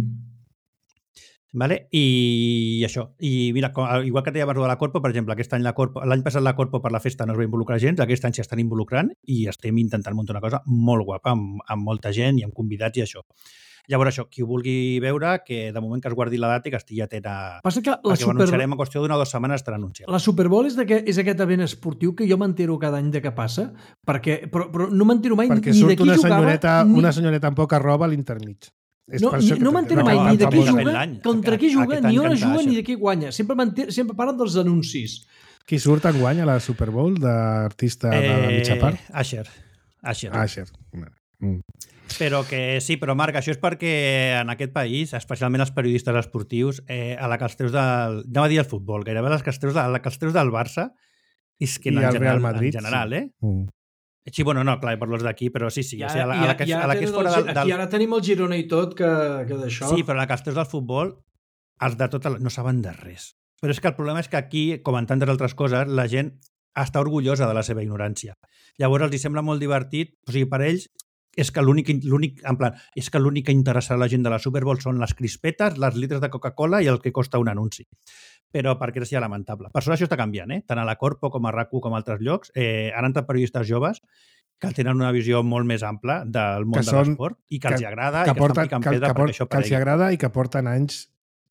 Speaker 4: Vale? I això. I mira, igual que et deia abans de la Corpo, per exemple, aquest any la Corpo, l'any passat la Corpo per la festa no es va involucrar gens, aquest any s'hi estan involucrant i estem intentant muntar una cosa molt guapa, amb, amb molta gent i amb convidats i això. Llavors això, qui ho vulgui veure, que de moment que es guardi la data i que estigui atent a...
Speaker 3: Passa que la
Speaker 4: perquè
Speaker 3: Super...
Speaker 4: ho anunciarem en qüestió d'una o dues setmanes estarà anunciat.
Speaker 3: La Super Bowl és, és aquest event esportiu que jo m'entero cada any de què passa, perquè, però, però no m'entero mai
Speaker 2: perquè
Speaker 3: ni de qui
Speaker 2: una
Speaker 3: jugava...
Speaker 2: Senyoreta,
Speaker 3: ni...
Speaker 2: Una senyoreta amb poca roba a l'intermig.
Speaker 3: No, no m'entero mai ni de qui juga, contra qui juga, ni on juga, ni de qui guanya. Sempre, sempre parlen dels anuncis.
Speaker 2: Qui surt en guanya a la Super Bowl d'artista eh, de la mitja part?
Speaker 4: Asher. Asher.
Speaker 2: Asher. Mm.
Speaker 4: Però que sí, però Marc, això és perquè en aquest país, especialment els periodistes esportius, eh, a la que els treus del... No va dir el futbol, gairebé a la que els treus, de, a la que els treus del Barça, és que en, en, general, Madrid, en general, sí. eh? Mm. Sí, bueno, no, clar, per los d'aquí, però sí, sí.
Speaker 3: Ja,
Speaker 4: o sigui, a, la, a, la que, ja, a la que és fora
Speaker 3: del,
Speaker 4: del, del...
Speaker 3: Aquí ara tenim el Girona i tot, que, que d'això...
Speaker 4: Sí, però a la que els teus del futbol, els de tot el... no saben de res. Però és que el problema és que aquí, com en tantes altres coses, la gent està orgullosa de la seva ignorància. Llavors els hi sembla molt divertit, o sigui, per ells és que l'únic, l'únic, en plan, és que l'únic que interessa a la gent de la Super Bowl són les crispetes, les litres de Coca-Cola i el que costa un anunci. Però perquè és ja lamentable. Per sort això està canviant, eh? Tant a la Corpo com a R A C U com a altres llocs. Eh, han entrat periodistes joves que tenen una visió molt més ampla del món de l'esport i que, que els agrada
Speaker 2: que
Speaker 4: i que
Speaker 2: porten,
Speaker 4: estan picant
Speaker 2: que,
Speaker 4: pedra
Speaker 2: que,
Speaker 4: perquè això
Speaker 2: que els agrada i que porten anys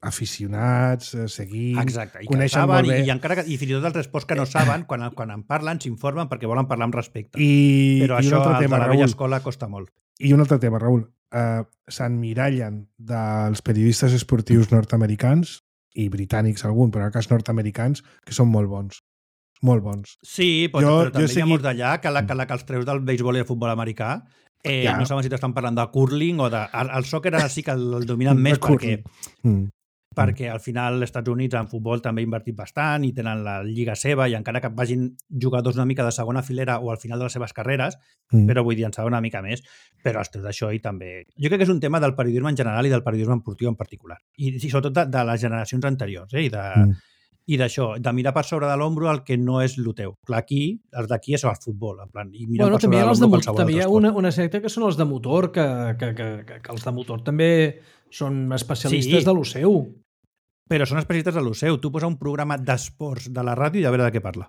Speaker 2: aficionats, seguint,
Speaker 4: exacte, i
Speaker 2: coneixen
Speaker 4: saben,
Speaker 2: molt bé.
Speaker 4: I, i, encara que, i fins i tot els esports que no saben, quan, quan en parlen, s'informen perquè volen parlar amb respecte.
Speaker 2: I,
Speaker 4: Però
Speaker 2: i
Speaker 4: això
Speaker 2: tema,
Speaker 4: de la
Speaker 2: Raül,
Speaker 4: vella escola costa molt.
Speaker 2: I un altre tema, Raül. Uh, S'emmirallen dels periodistes esportius nord-americans i britànics algun, però en el cas nord-americans, que són molt bons. Molt bons.
Speaker 4: Sí, però,
Speaker 2: jo,
Speaker 4: però també
Speaker 2: jo
Speaker 4: segui... hi ha molts d'allà que, la, que, la, que els treus del béisbol i el futbol americà eh, ja. no saben si t'estan parlant de curling o de... El, el sòquer ara sí que el, el dominen més perquè, mm. perquè al final els Estats Units en futbol també ha invertit bastant i tenen la lliga seva i encara que vagin jugadors una mica de segona filera o al final de les seves carreres, mm. però vull dir, en saben una mica més, però els treus d'això i també... Jo crec que és un tema del periodisme en general i del periodisme esportiu en particular. I, i sobretot de, de les generacions anteriors, eh? I de... Mm. I d'això, de mirar per sobre de l'ombro el que no és el teu. Clar, aquí, els d'aquí és el futbol, en plan, i mirar
Speaker 3: bueno,
Speaker 4: per sobre de l'ombro qualsevol
Speaker 3: també hi ha
Speaker 4: altre
Speaker 3: una, una secta que són els de motor, que, que, que, que, que els de motor també són especialistes sí, de lo seu.
Speaker 4: Però són especialistes de lo seu. Tu posa un programa d'esports de la ràdio i a veure de què parla.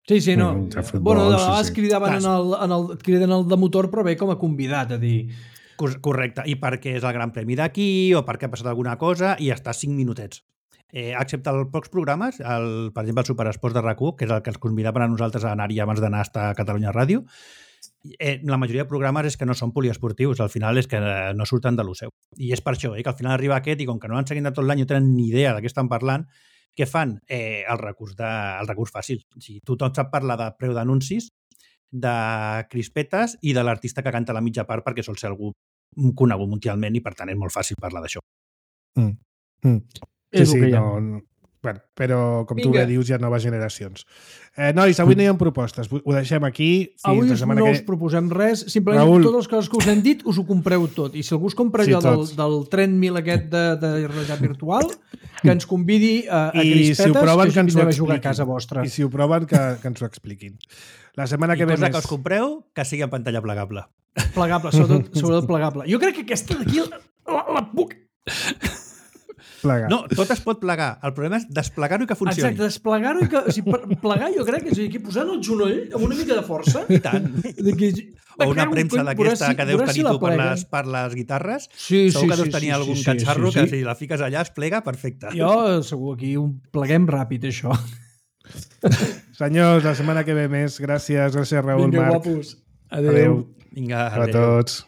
Speaker 3: Sí, sí, no.
Speaker 2: Mm, futbol,
Speaker 3: bueno, de vegades
Speaker 2: sí, sí.
Speaker 3: cridaven en el, en el, criden el de motor, però bé com a convidat, a dir...
Speaker 4: Correcte. I perquè és el Gran Premi d'aquí o perquè ha passat alguna cosa i està cinc minutets. Eh, excepte els pocs programes, el, per exemple el Superesports de R A C U, que és el que ens convidaven a nosaltres a anar-hi abans d'anar a Catalunya Ràdio, eh, la majoria de programes és que no són poliesportius, al final és que no surten de lo seu. I és per això, eh, que al final arriba aquest i com que no l'han seguit de tot l'any no tenen ni idea de què estan parlant, què fan? Eh, el, recurs de, el recurs fàcil. O sigui, tothom sap parlar de preu d'anuncis, de crispetes i de l'artista que canta la mitja part perquè sol ser algú conegut mundialment i per tant és molt fàcil parlar d'això.
Speaker 2: Mm. Mm. Sí, sí, no, no. Bueno, però com Vinga. Tu bé dius, hi ha noves generacions. Eh, nois, avui no hi ha propostes. Ho deixem aquí.
Speaker 3: Avui us, no que... us proposem res. Simplement Raül... totes les coses que us hem dit us ho compreu tot. I si algú es compra sí, allò del, del tren mil aquest de, de realitat virtual, que ens convidi a, a crispetes,
Speaker 2: si ho proven, que, que ens ho
Speaker 3: a jugar a casa vostra.
Speaker 2: I si ho proven, que, que ens ho expliquin. La setmana
Speaker 4: I
Speaker 2: que ve
Speaker 4: cosa
Speaker 2: més...
Speaker 4: que us compreu, que sigui en pantalla plegable.
Speaker 3: Plegable, sobretot, sobretot plegable. Jo crec que aquesta d'aquí la, la puc...
Speaker 2: Plegar.
Speaker 4: No, tot es pot plegar. El problema és desplegar-ho i que funcioni.
Speaker 3: Exacte, desplegar-ho i que... O sigui, plegar jo crec que és aquí posant el genoll amb una mica de força.
Speaker 4: I tant.
Speaker 3: De que...
Speaker 4: O una premsa d'aquesta que deus tenir tu per les, per les guitarres. Sí, segur sí, que deus tenir sí, algun sí, catxarro sí, sí, sí. que si la fiques allà es plega perfecte.
Speaker 3: Jo segur aquí un pleguem ràpid, això.
Speaker 2: Senyors, la setmana que ve més. Gràcies, gràcies Raül,
Speaker 3: Vinga,
Speaker 2: Marc.
Speaker 3: Vinga, guapos. Adéu.
Speaker 2: Adéu.
Speaker 4: Vinga,
Speaker 2: adéu. A tots.